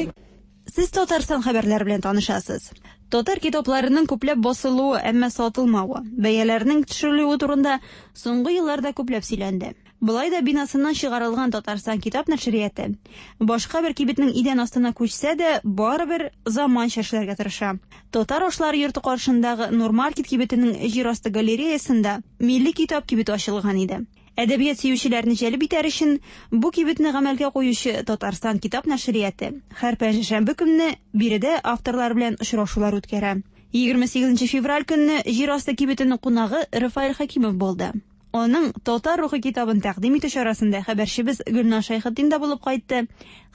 Сез Татарстан хәбәрләре белән танышасыз. Татар китапларының күпләп басылуы, әмма сатылмавы, бәяләренең төшерелүе турында соңгы елларда күпләп сөйләнде. Болай да бинасыннан чыгарылган Татарстан китап нәшрияты башка бер кибетнең идән астына күчсә дә, барыбер заманча эшләргә тырыша. Татар ашлары йорты каршындагы Нурмаркет кибетенең җир асты галереясында милли китап кибете ачылган иде. Әдәбият сөючеләрне җәлеп итәр өчен бу кибетне гамәлгә куючы Татарстан китап нәшрияты һәр пәнҗешәмбе көнне биредә авторлар белән очрашулар үткәрә. Егерме сигезенче февраль көнне җир асты кибетенең кунагы Рафаэль Хәкимов булды. Аның Татар рухы китабын тәкъдим итү чарасында хәбәрчебез Гөлназ Шәйхетдин дә булып кайтты.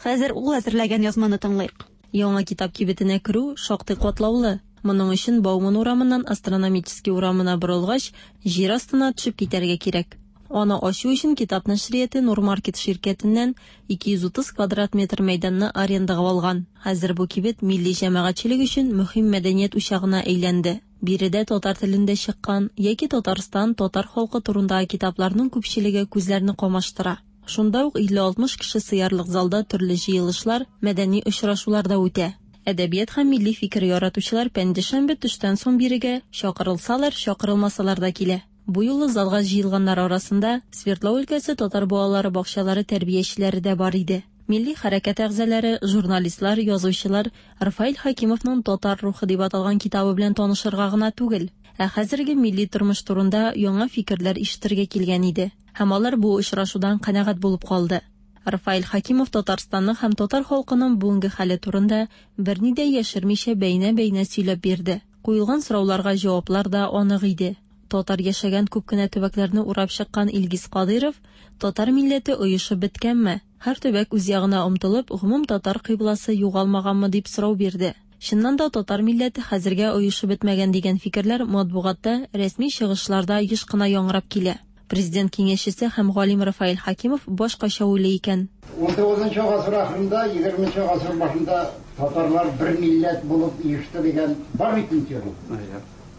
Хәзер ул әзерләгән язманы тыңлыйк.
Яңа китап кибетенә керү шактый катлаулы. Моның өчен Бауман урамыннан Астрономический урамына борылгач, җир астына төшеп китәргә кирәк. Аны ачу өчен китап нәшрияты Нурмаркет ширкәтеннән ике йөз утыз квадрат метр мәйданны арендага алган. Хәзер бу кибет милли җәмәгатьчелек өчен мөһим мәдәният учагына әйләнде. Биредә татар телендә чыккан яки Татарстан татар халкы турындагы китапларның күпчелеге күзләрне камаштыра. Шунда ук илле алтмыш кеше сыярлык залда төрле җыелышлар, мәдәни очрашулар да үтә. Әдәбият һәм милли фикер яратучылар пәнҗешәмбе төштән соң бирегә чакырылсалар, чакырылмасалар да килә. Бу юлы залга җыелганнар арасында Свердлов өлкәсе татар балалары бакчалары тәрбиячеләре дә бар иде. Милли хәрәкәт әгъзалары, журналистлар, язучылар Рафаэль Хәкимовның Татар рухы дип аталган китабы белән танышырга гына түгел, ә хәзерге милли тормыш турында яңа фикерләр ишетергә килгән иде. Һәм алар бу очрашудан канәгать булып калды. Рафаэль Хәкимов Татарстанның һәм татар халкының бүгенге хәле турында берни дә яшермичә бәйнә-бәйнә сөйләп бирде. Куелган сорауларга җаваплар да анык иде. Татар яшәгән күп кенә төбәкләрне урап чыккан Илгиз Кадыйров, татар милләте оешып беткәнме? Һәр төбәк үз ягына омтылып, гомум татар кыйбласы югалмаганмы дип сорау бирде. Чыннан да татар милләте хәзергә оешып бетмәгән дигән фикерләр матбугатта, рәсми чыгышларда еш кына яңгырап килә. Президент киңәшчесе һәм галим Рафаэль Хәкимов башкача уйлый икән.
Ун тугызынчы гасыр ахырында, егерменче гасыр башында татарлар бер милләт булып оешты дигән бар бит инде.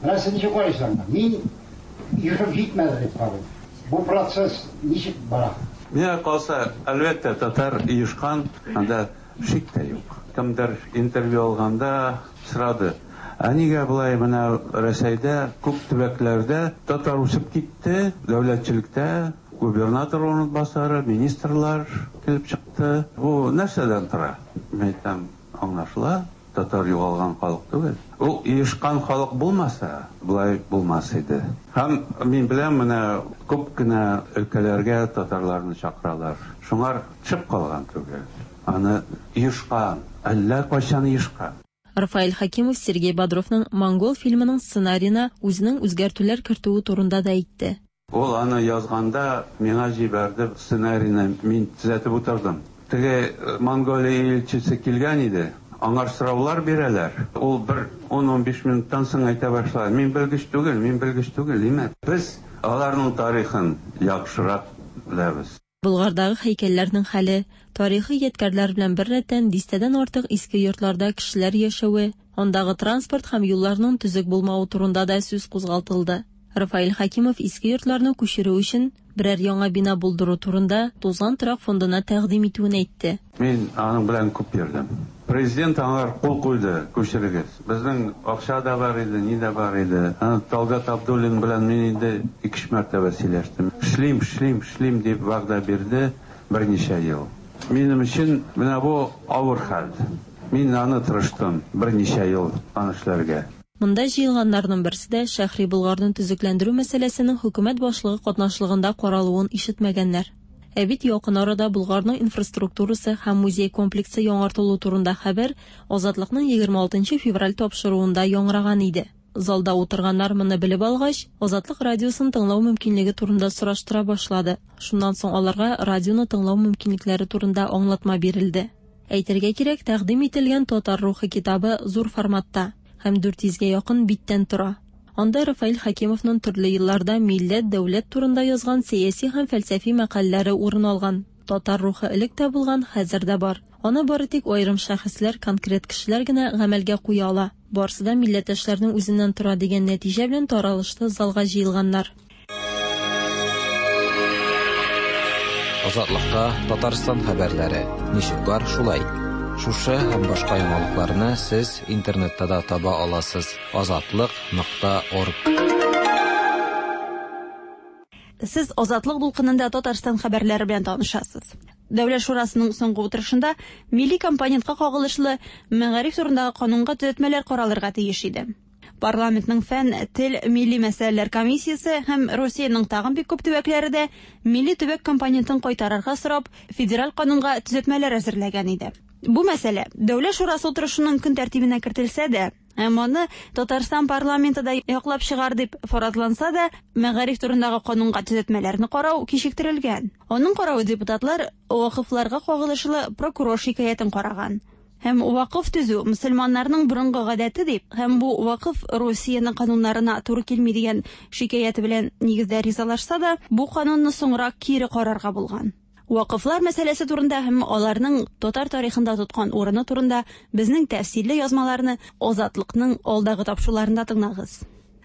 Менә сез ничек карыйсыз? Мин оешып җитмәде дип карыйм. Бу процесс ничек бара?
Миңа калса, әлбәттә, татар оешкан, анда шик тә юк. Кемдер интервью алганда сорады. Ә нигә болай менә Рәсәйдә күп төбәкләрдә татар үсеп китте, дәүләтчелектә губернатор урынбасары, министрлар килеп чыкты. Бу нәрсәдән тора? Мин әйтәм, аңлашыла, татар югалган халык түгел. Ул оешкан халык булмаса, болай булмас иде. Һәм мин беләм, менә күп кенә өлкәләргә татарларны чакыралар. Шуңар төшеп калган түгел. Аны оешкан, әллә кайчан оешкан.
Рафаэль Хәкимов Сергей Бодровның Монгол фильмының сценарийына үзенең үзгәртүләр кертүе турында да әйтте.
Ул аны язганда миңа җибәрде сценарийны, мин төзәтеп утырдым. Теге Монголия илчесе килгән иде. Аңар сораулар бирәләр. Ул бер ун-ун биш минуттан соң әйтә башлады. Мин белгеч түгел, мин белгеч түгел, димә. Без аларның тарихын яхшырак беләбез.
Болгардагы һәйкәлләрнең хәле, тарихи ядкәрләр белән беррәттән дистәдән артык иске йортларда кешеләр яшәве, андагы транспорт һәм юлларның төзек булмавы турында да сүз кузгалтылды. Рафаэль Хәкимов иске йортларны күчерү өчен берәр яңа бина булдыру турында Тузган торак фондына тәкъдим итүен әйтте.
Мин аның белән күп йөрдем. Президент аңар кул куйды, күчерегез. Безнең акча да бар иде, ни дә бар иде. Аны Талгат Абдуллин белән мин инде ике-өч мәртәбә сөйләштем. Эшлим, эшлим, эшлим дип вәгъдә бирде берничә ел. Минем өчен менә бу авыр хәл. Мин аны тырыштым берничә ел аны эшләргә.
Монда җыелганнарның берсе дә Шәһри Болгарны төзекләндерү мәсьәләсенең хөкүмәт башлыгы катнашлыгында каралуын ишетмәгәннәр. Ә бит якын арада Болгарның инфраструктурасы һәм музей комплексы яңартылу турында хәбәр Азатлыкның егерме алтынчы февраль тапшыруында яңгыраган иде. Залда утырганнар моны белеп алгач, Азатлык радиосын тыңлау мөмкинлеге турында сораштыра башлады. Шуннан соң аларга радионы тыңлау мөмкинлекләре турында аңлатма бирелде. Әйтергә кирәк, тәкъдим ителгән Татар рухы китабы зур форматта һәм дүрт йөзгә якын биттән тора. Анда Рафаэль Хәкимовның төрле елларда милләт, дәүләт турында язган сәяси һәм фәлсәфи мәкаләләре урын алган. Татар рухы элек тә булган, хәзер дә бар. Аны бары тик аерым шәхесләр, конкрет кешеләр генә гамәлгә куя ала. Барсы да милләттәшләрнең үзеннән тора дигән нәтиҗә белән таралышты залга җыелганнар.
Азатлыкта Татарстан хәбәрләре. Ничек бар, шулай. Шушы һәм башка яңалыкларны сез интернетта да таба аласыз. Азатлык нокта орг.
Сез Азатлык дулкынында Татарстан хәбәрләре белән танышасыз. Дәүләт шурасының соңгы утырышында милли компонентка кагылышлы мәгариф турындагы канунга төзәтмәләр каралырга тиеш иде. Парламентның фән, тел, милли мәсьәләләр комиссиясе һәм Русиянең тагын бик күп төбәкләре дә милли төбәк компонентын кайтарырга сорап федераль канунга төзәтмәләр әзерләгән иде. Бу мәсьәлә Дәүләт шурасы утырышының көн тәртибенә кертелсә дә, һәм аны Татарстан парламенты да яклап чыгар дип фаразланса да, мәгариф турындагы канунга төзәтмәләрне карау кичектерелгән. Аның каравы депутатлар вакыфларга кагылышлы прокурор шикаятен караган. Һәм вакыф төзү мөселманнарның борынгы гадәте дип, һәм бу вакыф Русиянең кануннарына туры килми дигән шикаяте белән нигездә ризалашса да, бу канунны соңрак кире карарга булган. Вакыфлар мәсьәләсе турында һәм аларның татар тарихында тоткан урыны турында безнең тәфсилле язмаларны Азатлыкның алдагы тапшыруларында тыңлагыз.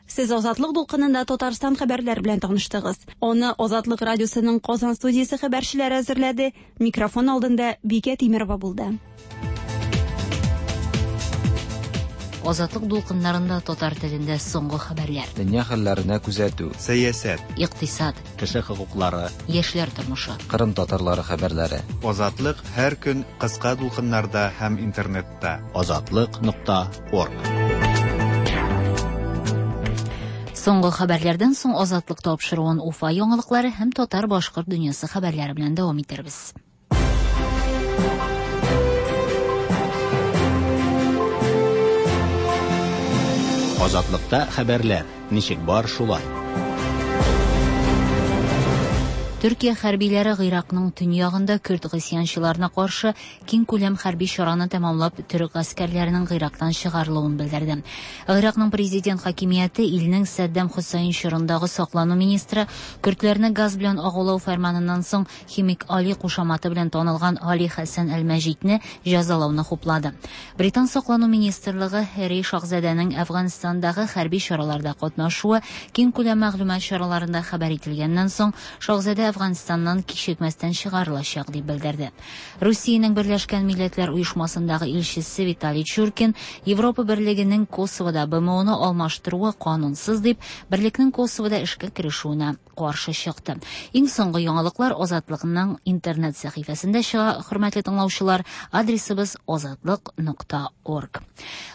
Сез Азатлык дулкынында Татарстан хәбәрләре белән таныштыгыз. Аны Азатлык радиосының Казан студиясе хәбәрчеләре әзерләде. Микрофон алдында Бикә Тимерова булды.
Азатлык дулкыннарында татар телендә соңгы хәбәрләр.
Дөнья хәлләренә күзәтү,
сәясәт,
икътисад,
кеше хокуклары,
яшьләр тормышы,
Кырым татарлары хәбәрләре.
Азатлык һәр көн кыска дулкыннарда һәм интернетта.
Азатлык нокта орг.
Соңгы хәбәрләрдән соң Азатлык тапшыруын Уфа яңалыклары һәм татар-башкорт дөньясы хәбәрләре белән дәвам итербез.
Азатлыкта хәбәрләр ничек бар шулай.
Төркия хәрбиләре Гыйракның төньягында көрд гыйсьянчыларына каршы киң күләм хәрби чараны тәмамлап, төрек гаскәрләренең Гыйрактан чыгарылуын белдерде. Гыйракның президент хакимияте илнең Саддам Хөсәйн чорындагы саклану министры көрдләрне газ белән агулау фәрманыннан соң химик Али кушаматы белән танылган Али Хәсән әл-Мәҗидне җәзалауны хуплады. Британ саклану министрлыгы Һәрри шаһзадәнең Әфганстандагы хәрби чараларда катнашуы киң күләм мәгълүмат чараларында хәбәр ителгәннән соң шаһзадә Әфганстаннан кичекмәстән чыгарылачак дип белдерде. Русиянең Берләшкән Милләтләр Оешмасындагы илчесе Виталий Чуркин Европа Берлегенең Косовода Б М О-ны алмаштыруы канунсыз дип, берлекнең Косовода эшкә керешүенә каршы чыкты. Иң соңгы яңалыклар Азатлыкның интернет сәхифәсендә чыга, хөрмәтле тыңлаучылар, адресыбыз азатлык нокта орг.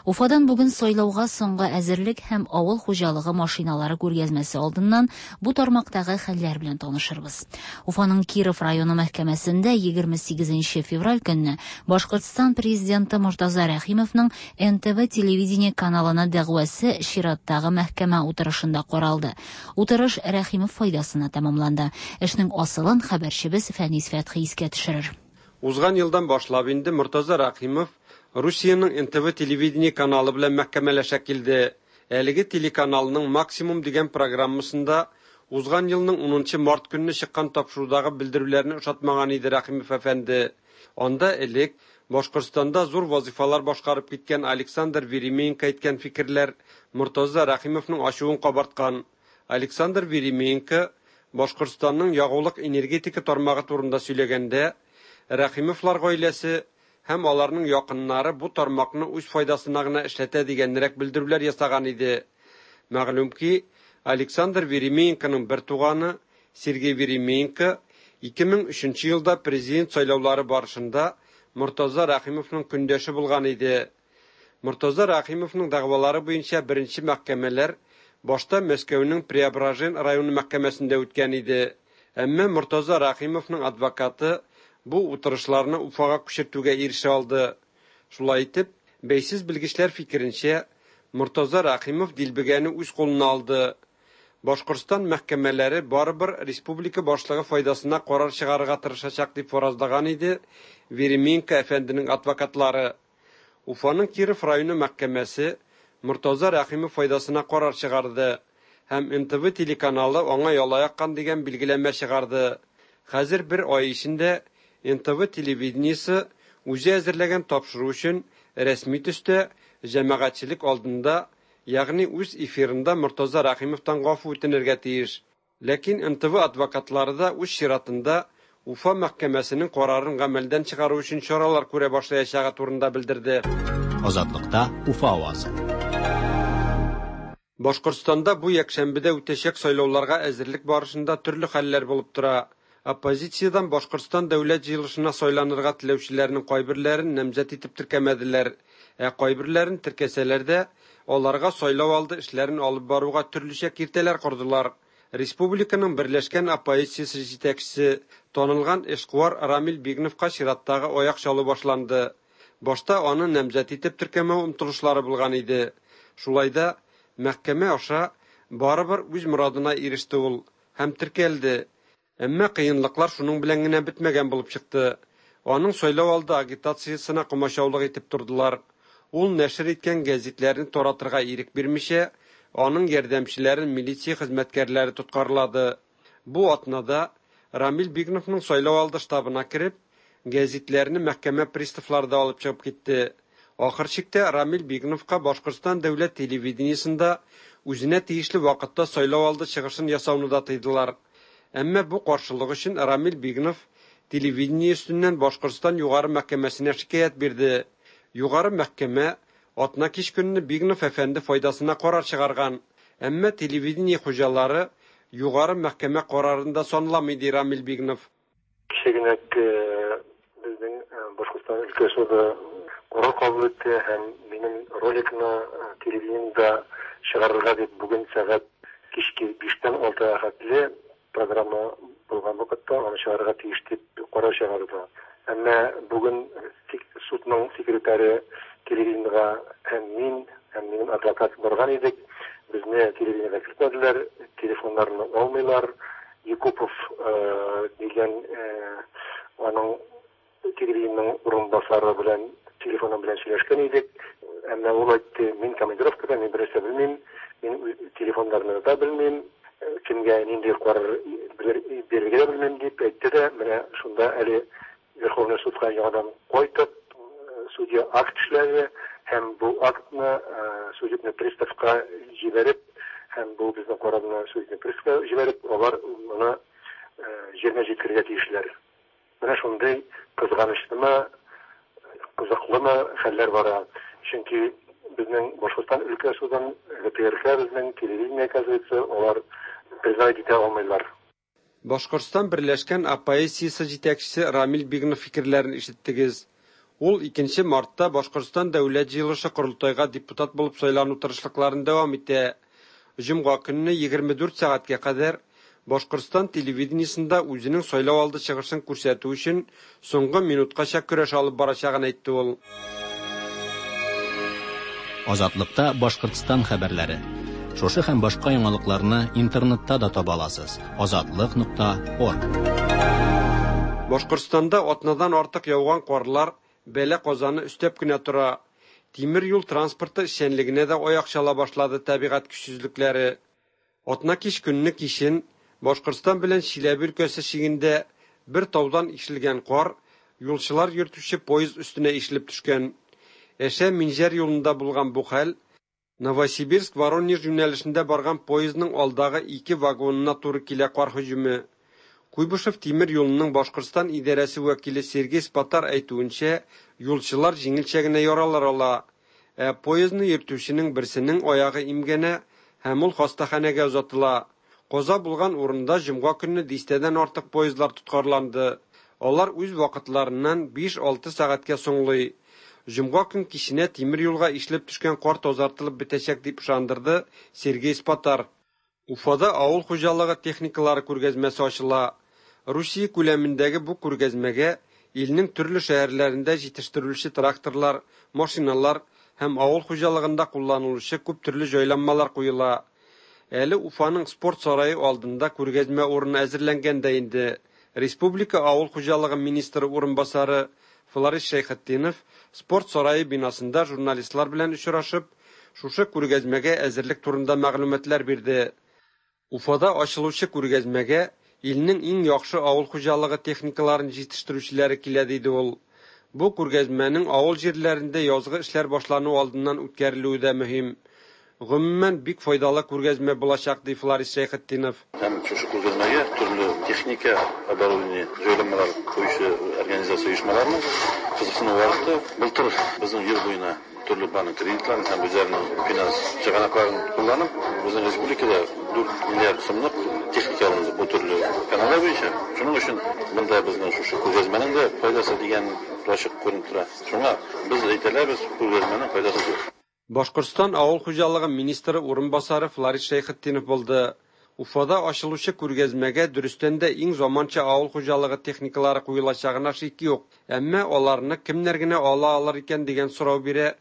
Уфадан бүген сайлауга соңгы әзерлек һәм авыл хуҗалыгы машиналары күргәзмәсе алдыннан бу тармактагы хәлләр белән танышырбыз. Уфаның Киров районы мәхкәмәсендә егерме сигезенче февраль көнне Башкортстан президенты Мортаза Рәхимовның Н Т В телевидение каналына дәгъвасы чираттагы мәхкәмә утырышында каралды. Утырыш Рәхимов файдасына тәмамланды. Эшнең асылын хәбәрчебез Фәнис Фәтхи искә төшерер.
Узган елдан башлап инде Мортаза Рәхимов Русиянең Н Т В телевидение каналы белән мәхкәмәләшә килде. Әлеге телеканалның Максимум дигән программасында узган елның унынчы март көнне чыккан тапшырудагы белдерүләрне ошатмаган иде Рәхимов әфәнде. Анда элек Башкортстанда зур вазифалар башкарып киткән Александр Веременко әйткән фикерләр Мортаза Рәхимовның ачуын кабарткан. Александр Веременко Башкортстанның ягулык энергетика тармагы турында сөйләгәндә, Рәхимовлар гаиләсе һәм аларның якыннары бу тармакны үз файдасына гына эшләтә дигәнрәк белдерүләр ясаган иде. Мәгълүм ки, Александр Веременконың бер туганы Сергей Веременко ике мең өченче елда президент сайлаулары барышында Мортаза Рәхимовның көндәше булган иде. Мортаза Рәхимовның дәгъвалары буенча беренче мәхкәмәләр башта Мәскәүнең Преображен районы мәхкәмәсендә үткән иде. Әмма Мортаза Рәхимовның адвокаты бу утырышларны Уфага күчертүгә ирешә алды. Шулай итеп, бәйсез белгечләр фикеренчә, Мортаза Рәхимов дилбегәне үз кулына алды. Башкортстан мәхкәмәләре барыбер республика башлыгы файдасына карар чыгарырга тырышачак дип фаразлаган иде Веременко әфәнденең адвокатлары. Уфаның Киров районы мәхкәмәсе Мортаза Рәхимов файдасына карар чыгарды һәм Н Т В телеканалы аңа яла яккан дигән билгеләмә чыгарды. Хәзер бер ай эчендә Н Т В телевидениесе үзе әзерләгән тапшыру өчен рәсми төстә җәмәгатьчелек алдында, ягъни үз эфирында Мортаза Рәхимовтан гафу үтенергә тиеш. Ләкин Н Т В адвокатлары да үз чиратында Уфа мәхкәмәсенең карарын гамәлдән чыгару өчен чаралар күрә башлаячагы турында белдерде.
Азатлыкта Уфа авазы.
Башкортстанда бу якшәмбедә үтәчәк сайлауларга әзерлек барышында төрле хәлләр булып тора. Оппозициядән Башкортстан дәүләт җыелышына сайланырга теләүчеләрнең кайберләрен намзәт итеп теркәмәделәр. Ә кайберләрен теркәсәләр дә, аларга сайлау алды эшләрен алып баруга төрлечә киртәләр кордылар. Республиканың берләшкән оппозициясе җитәкчесе, танылган эшкуар Рамил Бигновка чираттагы аяк чалу башланды. Башта аны намзәт итеп теркәмәү омтылышлары булган иде. Шулай да мәхкәмә аша барыбер үз морадына иреште ул һәм теркәлде. Әмма кыенлыклар шуның белән генә бетмәгән булып чыкты. Аның сайлау алды агитациясенә комачаулык итеп тордылар. Ул нәшер иткән гәзитләрне таратырга ирек бирмичә, аның ярдәмчеләрен милиция хезмәткәрләре тоткарлады. Бу атнада Рамил Бигновның сайлау алды штабына кереп, гәзитләрне мәхкәмә приставлары да алып чыгып китте. Ахыр чиктә Рамил Бигновка Башкортстан дәүләт телевидениесендә үзенә тиешле вакытта сайлау алды чыгышын ясауны да тыйдылар. Әмма бу каршылык өчен Рамил Бигнов телевидение өстеннән Башкортстан югары мәхкәмәсенә шикаять бирде. Югары мәхкәмә атна кич көнне Бигнов әфәнде файдасына карар чыгарган. Әмма телевидение хуҗалары югары мәхкәмә карарын да санламый, ди Рамил Бигнов.
Кичә генә безнең Башкортстан өлкә суды карар кабул итте һәм минем роликны телевидениедә чыгарырга дип бүген сәгать кичке биштән алтыга хәтле программа булган вакытта аны чыгарырга тиеш дип карар чыгарды. Әмма бүген судның секретаре телевидениегә һәм мин, һәм минем адвокат барган идек. Безне телевидениегә кертмәделәр, телефоннарны алмыйлар. Якупов дигән аның телевидениенең урынбасары белән телефоны белән сөйләшкән идек. Әмма ул әйтте, мин командировкада, мин берәрсә белмим, мин телефоннарны да белмим, кемгә нинди карар бирергә дә белмим дип әйтте дә, менә шунда әле Верховный судка яңадан кайтып, судья акт эшләде һәм бу актны судебный приставка җибәреп, һәм бу безнең карарны судебный приставка җибәреп, алар моны җиренә җиткерергә тиешләр. Менә шундый кызганычлымы, кызыклымы хәлләр бара. Чөнки безнең Башкортстан өлкә судын, ГТРК безнең телевидение, оказывается, алар признать итә алмыйлар.
Башкортстан берләшкән оппозициясе җитәкчесе Рамил Бигнов фикерләрен ишеттегез. Ул икенче мартта Башкортстан дәүләт җыелышы корылтайга депутат булып сайлану тырышлыкларын дәвам итә. Җомга көнне егерме дүрт сәгатькә кадәр Башкортстан телевидениесендә үзенең сайлау алды чыгышын күрсәтү өчен соңгы минуткача көрәш алып барачагын әйтте ул.
Азатлыкта Башкортстан хәбәрләре. Шушы һәм башка яңалыкларны интернетта да таба аласыз. Азатлык нокта орг.
Башкортстанда атнадан артык яуган карлар бәла казаны өстәп кенә тора. Тимер юл транспорты эшчәнлегенә дә аяк чала башлады табигать көчсезлекләре. Атна кич көнне кичен Башкортстан белән Чиләбе өлкәсе чигендә бер таудан ишелгән кар юлчылар йөртүче поезд өстенә ишелеп төшкән. Әшә Минҗәр юлында булган бу хәл Новосибирск Воронеж юнәлешендә барган поездның алдагы ике вагонына туры килә кар һөҗүме. Куйбышев тимер юлының Башкортстан идарәсе вәкиле Сергей Спатар әйтүенчә, юлчылар җиңелчә генә яралар ала. Ә поездны йөртүченең берсенең аягы имгәнә һәм ул хастаханәгә озатыла. Каза булган урында җомга көнне дистәдән артык поездлар тоткарланды. Алар үз вакытларыннан биш-алты сәгатькә соңлый. Җомга көн киченә тимер юлга ишелеп төшкән кар тазартылып бетәчәк дип ышандырды Сергей Спатар. Уфада авыл хуҗалыгы техникалары күргәзмәсе ачыла. Русия күләмендәге бу күргәзмәгә илнең төрле шәһәрләрендә җитештерелүче тракторлар, машиналар һәм авыл хуҗалыгында кулланылучы күп төрле җайланмалар куела. Әле Уфаның спорт сарае алдында күргәзмә урыны әзерләнгән дә инде. Республика авыл хуҗалыгы министры урынбасары Фларис Шәйхетдинов спорт сарае бинасында журналистлар белән очрашып, шушы күргәзмәгә әзерлек турында мәгълүматлар бирде. Уфада ачылучы күргәзмәгә илнең иң яхшы авыл хуҗалыгы техникаларын җитештерүчеләре килә, диде ул. Бу күргәзмәнең авыл җирләрендә язгы эшләр башлану алдыннан үткәрелүе дә мөһим. Гомумән, бик файдалы күргәзмә булачак, ди Фларис Шәйхетдинов.
Һәм шушы күргәзмәгә төрле техника, оборудование, җайланмалар куючы организация оешмаларының кызыксынуы артты. Былтыр безнең ел буена төрле банк кредитларын һәм үзләренең финанс чыганакларын кулланып, безнең республикада дүрт миллиард сумлык Техника алынды бу төрле каналлар буенча. Шуның өчен монда безнең шушы күргәзмәнең дә файдасы дигән ачык күренеп тора. Шуңа без әйтәләбез, күргәзмәнең файдасы зур.
Башкортстан авыл хуҗалыгы министры урынбасары Фларид Шәйхетдинов булды. Уфада ачылучы күргәзмәгә дөрестән дә иң заманча авыл хуҗалыгы техникалары куелачагына шик юк. Әмма аларны кемнәр генә ала алыр икән дигән сорау бирә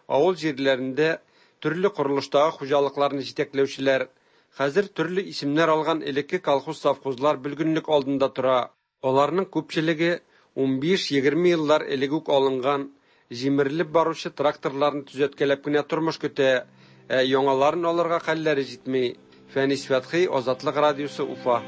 авыл җирләрендә төрле корылыштагы хуҗалыкларны җитәкләүчеләр. Хәзер төрле исемнәр алган элекке колхоз-совхозлар бөлгенлек алдында тора. Аларның күпчелеге унбиш-егерме еллар элек үк алынган, җимерелеп баручы тракторларны төзәткәләп кенә тормыш көтә, ә яңаларын алырга хәлләре җитми. Фәнис Фәтхи, Азатлык радиосы, Уфа.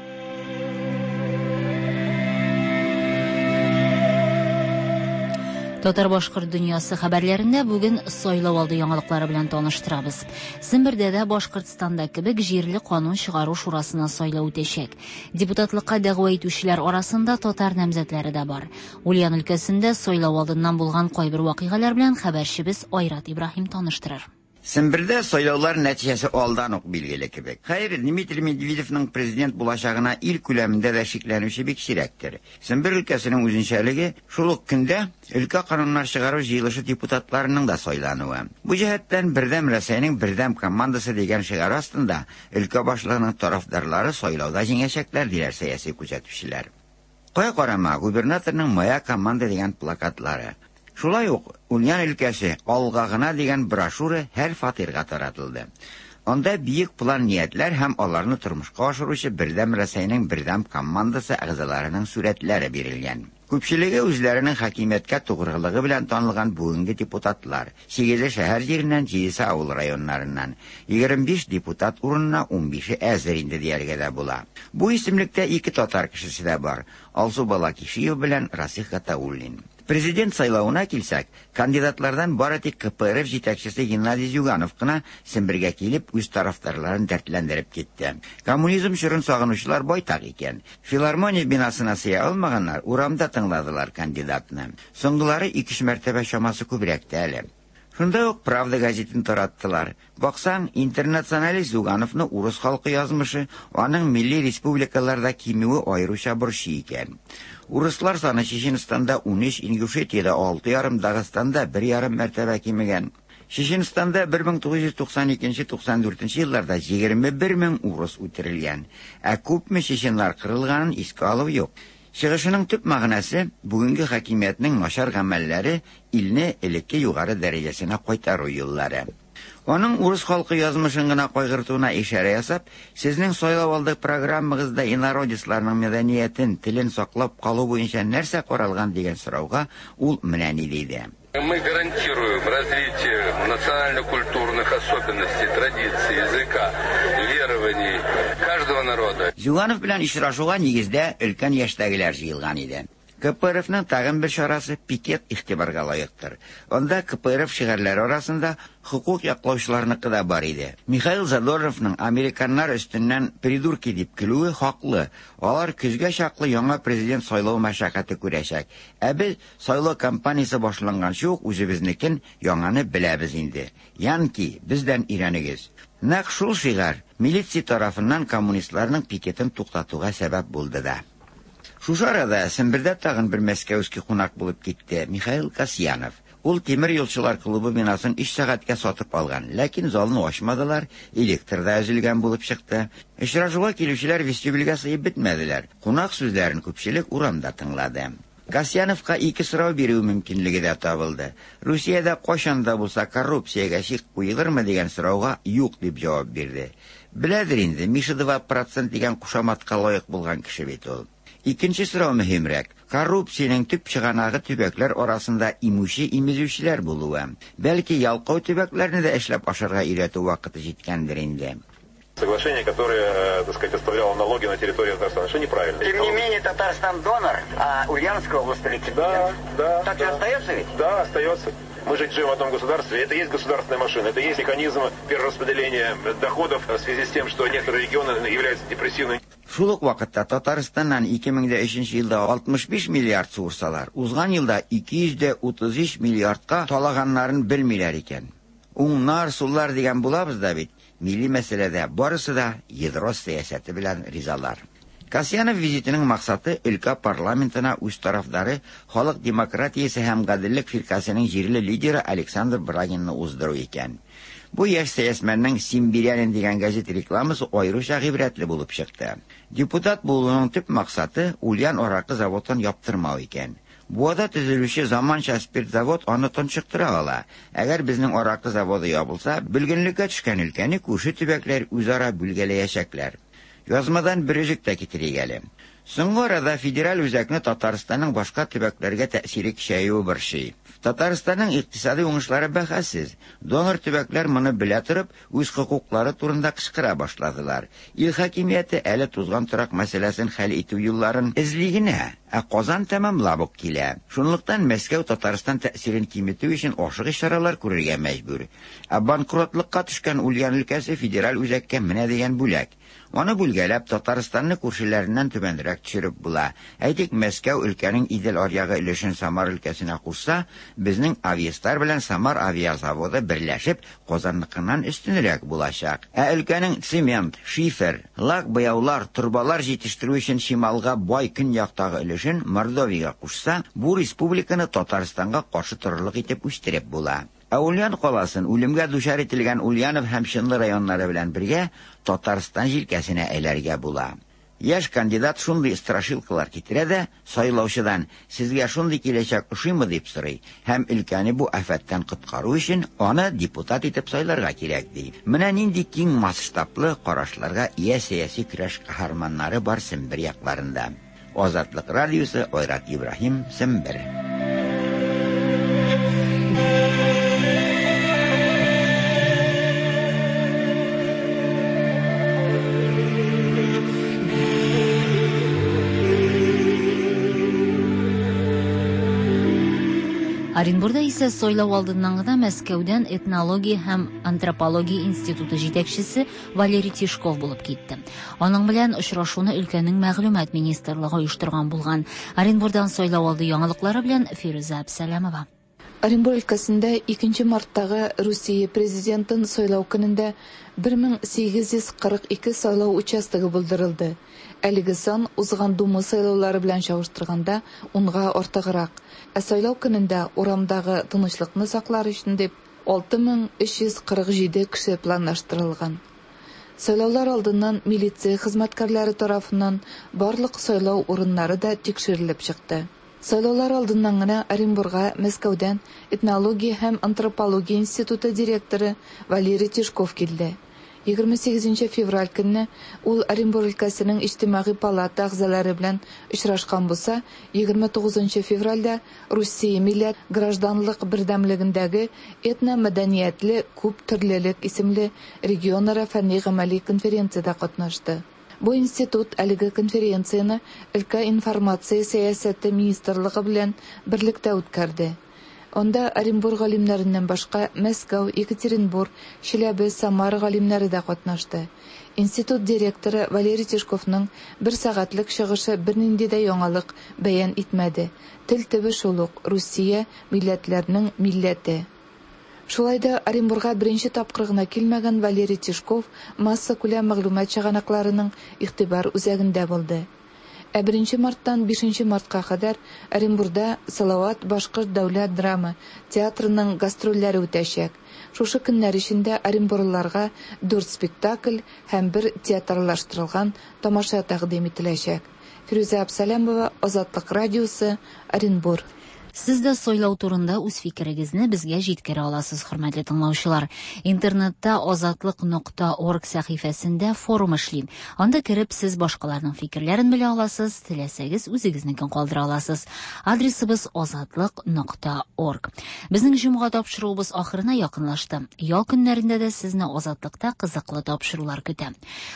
Татар-башкорт дөньясы хәбәрләрендә бүген сайлау алды яңалыклары белән таныштырабыз. Сембердә дә Башкортстанда кебек җирле канун чыгару шурасына сайлау үтәчәк. Депутатлыкка дәгъва итүчеләр арасында татар намзәтләре дә бар. Ульян өлкәсендә сайлау алдыннан булган кайбер вакыйгалар белән хәбәрчебез Айрат Ибраһим таныштырыр.
Сембердә сайлаулар нәтиҗәсе алдан ук билгеле кебек. Хәер, Дмитрий Медведевның президент булачагына ил күләмендә дә шикләнүче бик сирәктер. Сембер өлкәсенең үзенчәлеге шул ук көндә өлкә кануннар чыгару җыелышы депутатларының да сайлануы. Бу җәһәттән Бердәм Рәсәйнең бердәм командасы дигән шигар астында өлкә башлыгының тарафдарлары сайлауда җиңәчәкләр, диләр сәяси күзәтүчеләр. Кая карама, губернаторның «Моя команда» дигән плакатлары. Шулай ук Ульян өлкәсе алга гына дигән брошюра һәр фатирга таратылды. Анда бөек план ниятләр һәм аларны тормышка ашыручы Бердәм Рәсәйнең бердәм командасы әгъзаларының сурәтләре бирелгән. Күпчелеге үзләренең хакимияткә тугрылыгы белән танылган бүгенге депутатлар. Сигезе шәһәр җиреннән, җидесе авыл районнарыннан. Егерме биш депутат урынына унбише әзер инде дияргә дә була. Бу исемлектә ике татар кешесе дә бар. Алсу Балакишиева белән Расих Гатауллин. Президент сайлавына килсәк, кандидатлардан бары тик К П Р Ф җитәкчесе Геннадий Зюганов кына Сембергә килеп үз тарафдарларын дәртләндереп китте. Коммунизм чорын сагынучылар байтак икән. Филармония бинасына сыя алмаганнар урамда тыңладылар кандидатны. Соңгылары ике-өч мәртәбә чамасы күбрәк тә әле. Шунда ук Правда газетын тараттылар. Баксаң, интернационалист Зюгановны урыс халкы язмышы, аның милли республикаларда кимүе аеруча борчый икән. Урыслар саны Чеченстанда унөч, Ингушетиядә алты ярым, Дагыстанда бер ярым мәртәбә кимегән. Чеченстанда бер мең тугыз йөз туксан икенче туксан дүртенче елларда егерме бер мең урыс үтерелгән. Ә күпме чеченнар кырылганын искә алу юк. Чыгышының төп мәгънәсе бүгенге хакимиятнең начар гамәлләре илне элекке югары дәрәҗәсенә кайтару юллары. Аның урыс халкы язмышын гына кайгыртуына ишарә ясап, сезнең сайлау алды программагызда инородецларның мәдәниятен, телен саклап калу буенча нәрсә каралган дигән сорауга ул менә ни диде.
Мы гарантируем развитие национально-культурных особенностей, традиций, языка, верований каждого народа.
Зюганов белән очрашуга нигездә өлкән яшьтәгеләр җыелган иде. К П Р Фның тагын бер чарасы пикет игътибарга лаектыр. Анда К П Р Ф шигарьләре арасында хокук яклаучыларныкы да бар иде. Михаил Задорновның американнар өстеннән придурки дип көлүе хаклы. Алар көзгә чаклы яңа президент сайлау мәшәкате күрәчәк. Ә без сайлау кампаниясе башланганчы ук үзебезнекен яңаны беләбез инде. Янки, бездән өйрәнегез. Нәкъ шул шигарь милиция тарафыннан коммунистларның пикетын туктатуга сәбәп булды да. Шушы арада Сембердә тагын бер мәскәүский кунак булып китте Михаил Касьянов. Ул тимер юлчылар клубы бинасын өч сәгатькә сатып алган, ләкин залны ачмадылар, электр да өзелгән булып чыкты. Очрашуга килүчеләр вестибюльгә сыеп бетмәделәр. Кунак сүзләрен күпчелек урамда тыңлады. Касьяновка ике сорау бирү мөмкинлеге дә табылды. Русиядә кайчан да булса коррупциягә чик куелырмы дигән сорауга юк дип җавап бирде. Беләдер инде, Миша два процент дигән кушаматка лаек булган кеше бит ул. Икенче сорау мөһимрәк. Коррупциянең төп чыганагы төбәкләр арасында имүче имезүчеләр булуы. Бәлки ялкау төбәкләрне дә эшләп ашарга өйрәтү вакыты җиткәндер инде.
Соглашение, которое, так сказать, оставляло налоги на территории Татарстана, что неправильно.
Тем не менее, Татарстан донор, а Ульяновская область реципиент.
Да, да.
Так
да.
же остается ведь?
Да, остается. Мы же живем в одном государстве, это и есть государственная машина, это и есть механизм перераспределения доходов в связи с тем, что некоторые регионы являются депрессивными.
Шул ук вакытта Татарстаннан ике мең дә өченче елда алтмыш биш миллиард суырсалар, узган елда ике йөз дә утыз өч миллиардка талаганнарын белмиләр икән. Уңнар, суллар дигән булабыз да бит. Милли мәсьәләдә барысы да ядро сәясәте белән ризалар. Касьянов визитының максаты өлкә парламентына үз тарафдары Халык демократиясе һәм гаделлек фиркасының җирле лидеры Александр Брагинны уздыру икән. Бу яшь сәясмәннең «Симбирянин» дигән газет рекламасы аеруча гыйбрәтле булып чыкты. Депутат булуның төп максаты Ульян аракы заводын яптырмау икән. Буада төзелүче заманча спиртзавод аны тончыктыра ала. Әгәр безнең аракы заводы ябылса, бөлгенлеккә төшкән өлкәне күрше төбәкләр үзара бүлгәләячәкләр. Язмадан бер өзек тә китерик әле. Соңгы арада федераль үзәкне Татарстанның башка төбәкләргә тәэсире көчәюе борчый. Татарстанның икътисади уңышлары бәхәссез. Донор төбәкләр моны белә торып, үз хокуклары турында кычкыра башладылар. Ил хакимияте әле тузган торак мәсьәләсен хәл итү юлларын эзли генә, ә Казан тәмамлап ук килә. Шунлыктан Мәскәү Татарстан тәэсирен киметү өчен ашыгыч чаралар күрергә мәҗбүр. Ә банкротлыкка төшкән Ульян өлкәсе федераль үзәккә менә дигән бүләк. Аны бүлгәләп Татарстанны күршеләреннән түбәнрәк төшереп була. Әйтик, Мәскәү өлкәнең Идел аръягы өлешен Самар өлкәсенә кушса, безнең Авиастар белән Самар авиазаводы берләшеп Казанныкыннан өстенрәк булачак. Ә өлкәнең цемент, шифер, лак буяулар, торбалар җитештерү өчен чималга бай көньяктагы өлешен Мордовиягә кушса, бу республиканы Татарстанга каршы торырлык итеп үстереп була. Ә Ульян каласын үлемгә дучар ителгән Ульянов һәм Чынлы районнары белән бергә Татарстан җилкәсенә әйләргә була. Яшь кандидат шундый страшилкалар китерә дә, сайлаучыдан «Сезгә шундый киләчәк ошыймы?» дип сорый һәм өлкәне бу афәттән коткару өчен аны депутат итеп сайларга кирәк ди. Менә нинди киң масштаблы карашларга ия сәяси көрәш каһарманнары бар Сембер якларында. Азатлык радиосы, Айрат Ибраһим, Сембер.
Оренбурда исә сайлау алдыннан гына Мәскәүдән этнология һәм антропология институты җитәкчесе Валерий Тишков булып китте. Аның белән очрашуны өлкәнең мәгълүмат министрлыгы оештырган булган. Оренбурдан сайлау алды яңалыклары белән Фирүзә Әбсәләмова.
Оренбур өлкәсендә икенче марттагы Русия президентын сайлау көнендә бер мең сигез йөз кырык ике сайлау участогы булдырылды. Әлеге сан узган Дума сайлаулары белән чагыштырганда унга артыграк. Ә сайлау көнендә урамдагы тынычлыкны саклар өчен дип алты мең өч йөз кырык җиде кеше планлаштырылган. Сайлаулар алдыннан милиция хезмәткәрләре тарафыннан барлык сайлау урыннары да тикшерелеп чыкты. Сайлаулар алдыннан гына Оренбурга Мәскәүдән этнология һәм антропология институты директоры Валерий Тишков килде. егерме сигезенче февраль көнне ул Оренбур өлкәсенең иҗтимагый палата әгъзалары белән очрашкан булса, егерме тугызынчы февральдә Русия милләт гражданлык бердәмлегендәге этномәдәниятле күп төрлелек исемле регионара фәнни-гамәли конференциядә катнашты. Бу институт әлеге конференцияне өлкә информация сәясәте министрлыгы белән берлектә үткәрде. Анда Оренбур галимнәреннән башка Мәскәү, Екатеринбург, Чиләбе, Самара галимнәре дә катнашты. Институт директоры Валерий Тишковның бер сәгатьлек чыгышы бернинди дә яңалык бәян итмәде. Тел төбе шул ук Русия милләтләренең милләте. Шулай да Оренбурга беренче тапкыр гына килмәгән Валерий Тишков массакүләм мәгълүмат чыганакларының игътибар үзәгендә булды. Ә беренче марттан бишенче мартка кадәр Оренбурда Салават башкорт дәүләт драма театрының гастрольләре үтәчәк. Шушы көннәр эчендә оренбурлыларга дүрт спектакль һәм бер театрлаштырылган тамаша тәкъдим ителәчәк. Фирүзә Абсалямова, Азатлык радиосы, Оренбур.
Сез дә сайлау турында үз фикерегезне безгә җиткерә аласыз, хөрмәтле тыңлаучылар. Интернетта азатлык нокта орг сәхифәсендә форум эшли. Анда кереп сез башкаларның фикерләрен белә аласыз, теләсәгез үзегезнекен калдыра аласыз. Адресыбыз азатлык нокта орг. Безнең җомга тапшыруыбыз ахырына якынлашты. Ял көннәрендә дә сезне Азатлыкта кызыклы тапшырулар көтә.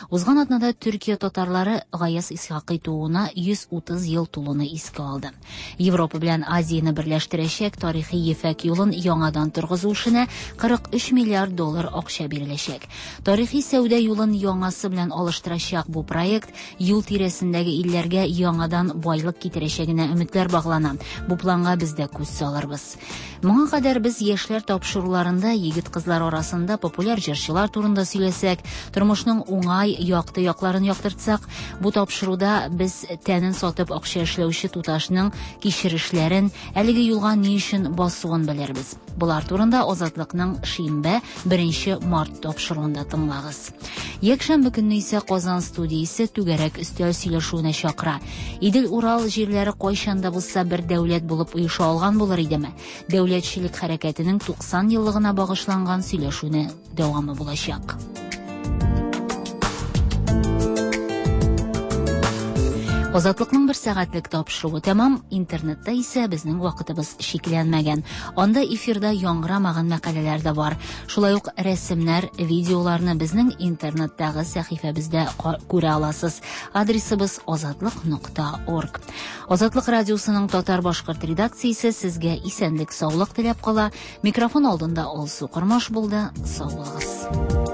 Узган атнада Төркия татарлары Гаяз Исхакый тууына йөз утыз ел тулуны искә алды. Европа белән Азия Азияне берләштерәчәк тарихи Ефәк юлын яңадан торгызу эшенә кырык өч миллиард доллар акча биреләчәк. Тарихи сәүдә юлын яңасы белән алыштырачак бу проект юл тирәсендәге илләргә яңадан байлык китерәчәгенә өметләр баглана. Бу планга без дә күз салырбыз. Моңа кадәр без яшьләр тапшыруларында егет-кызлар арасында популяр җырчылар турында сөйләсәк, тормышның уңай, якты якларын яктыртсак, бу тапшыруда без тәнен сатып акча эшләүче туташның кичерешләрен, әлеге юлга ни өчен басуын белербез. Болар турында Азатлыкның шимбә беренче март тапшыруында тыңлагыз. Якшәмбе көнне исә Казан студиясе түгәрәк өстәл сөйләшүенә чакыра. Идел-Урал җирләре кайчан да булса бер дәүләт булып оеша алган булыр идеме? Дәүләтчелек хәрәкәтенең туксан еллыгына багышланган сөйләшүне дәвамы булачак. Азатлыкның бер сәгатьлек тапшыруы тәмам. Интернетта исә безнең вакытыбыз чикләнмәгән. Анда эфирда яңгырамаган мәкаләләр дә бар. Шулай ук рәсемнәр, видеоларны безнең интернеттагы сәхифәбездә күрә аласыз. Адресыбыз азатлык нокта орг. Азатлык радиосының татар-башкорт редакциясе сезгә исәнлек, саулык теләп кала. Микрофон алдында Алсу Кормаш булды. Сау булыгыз.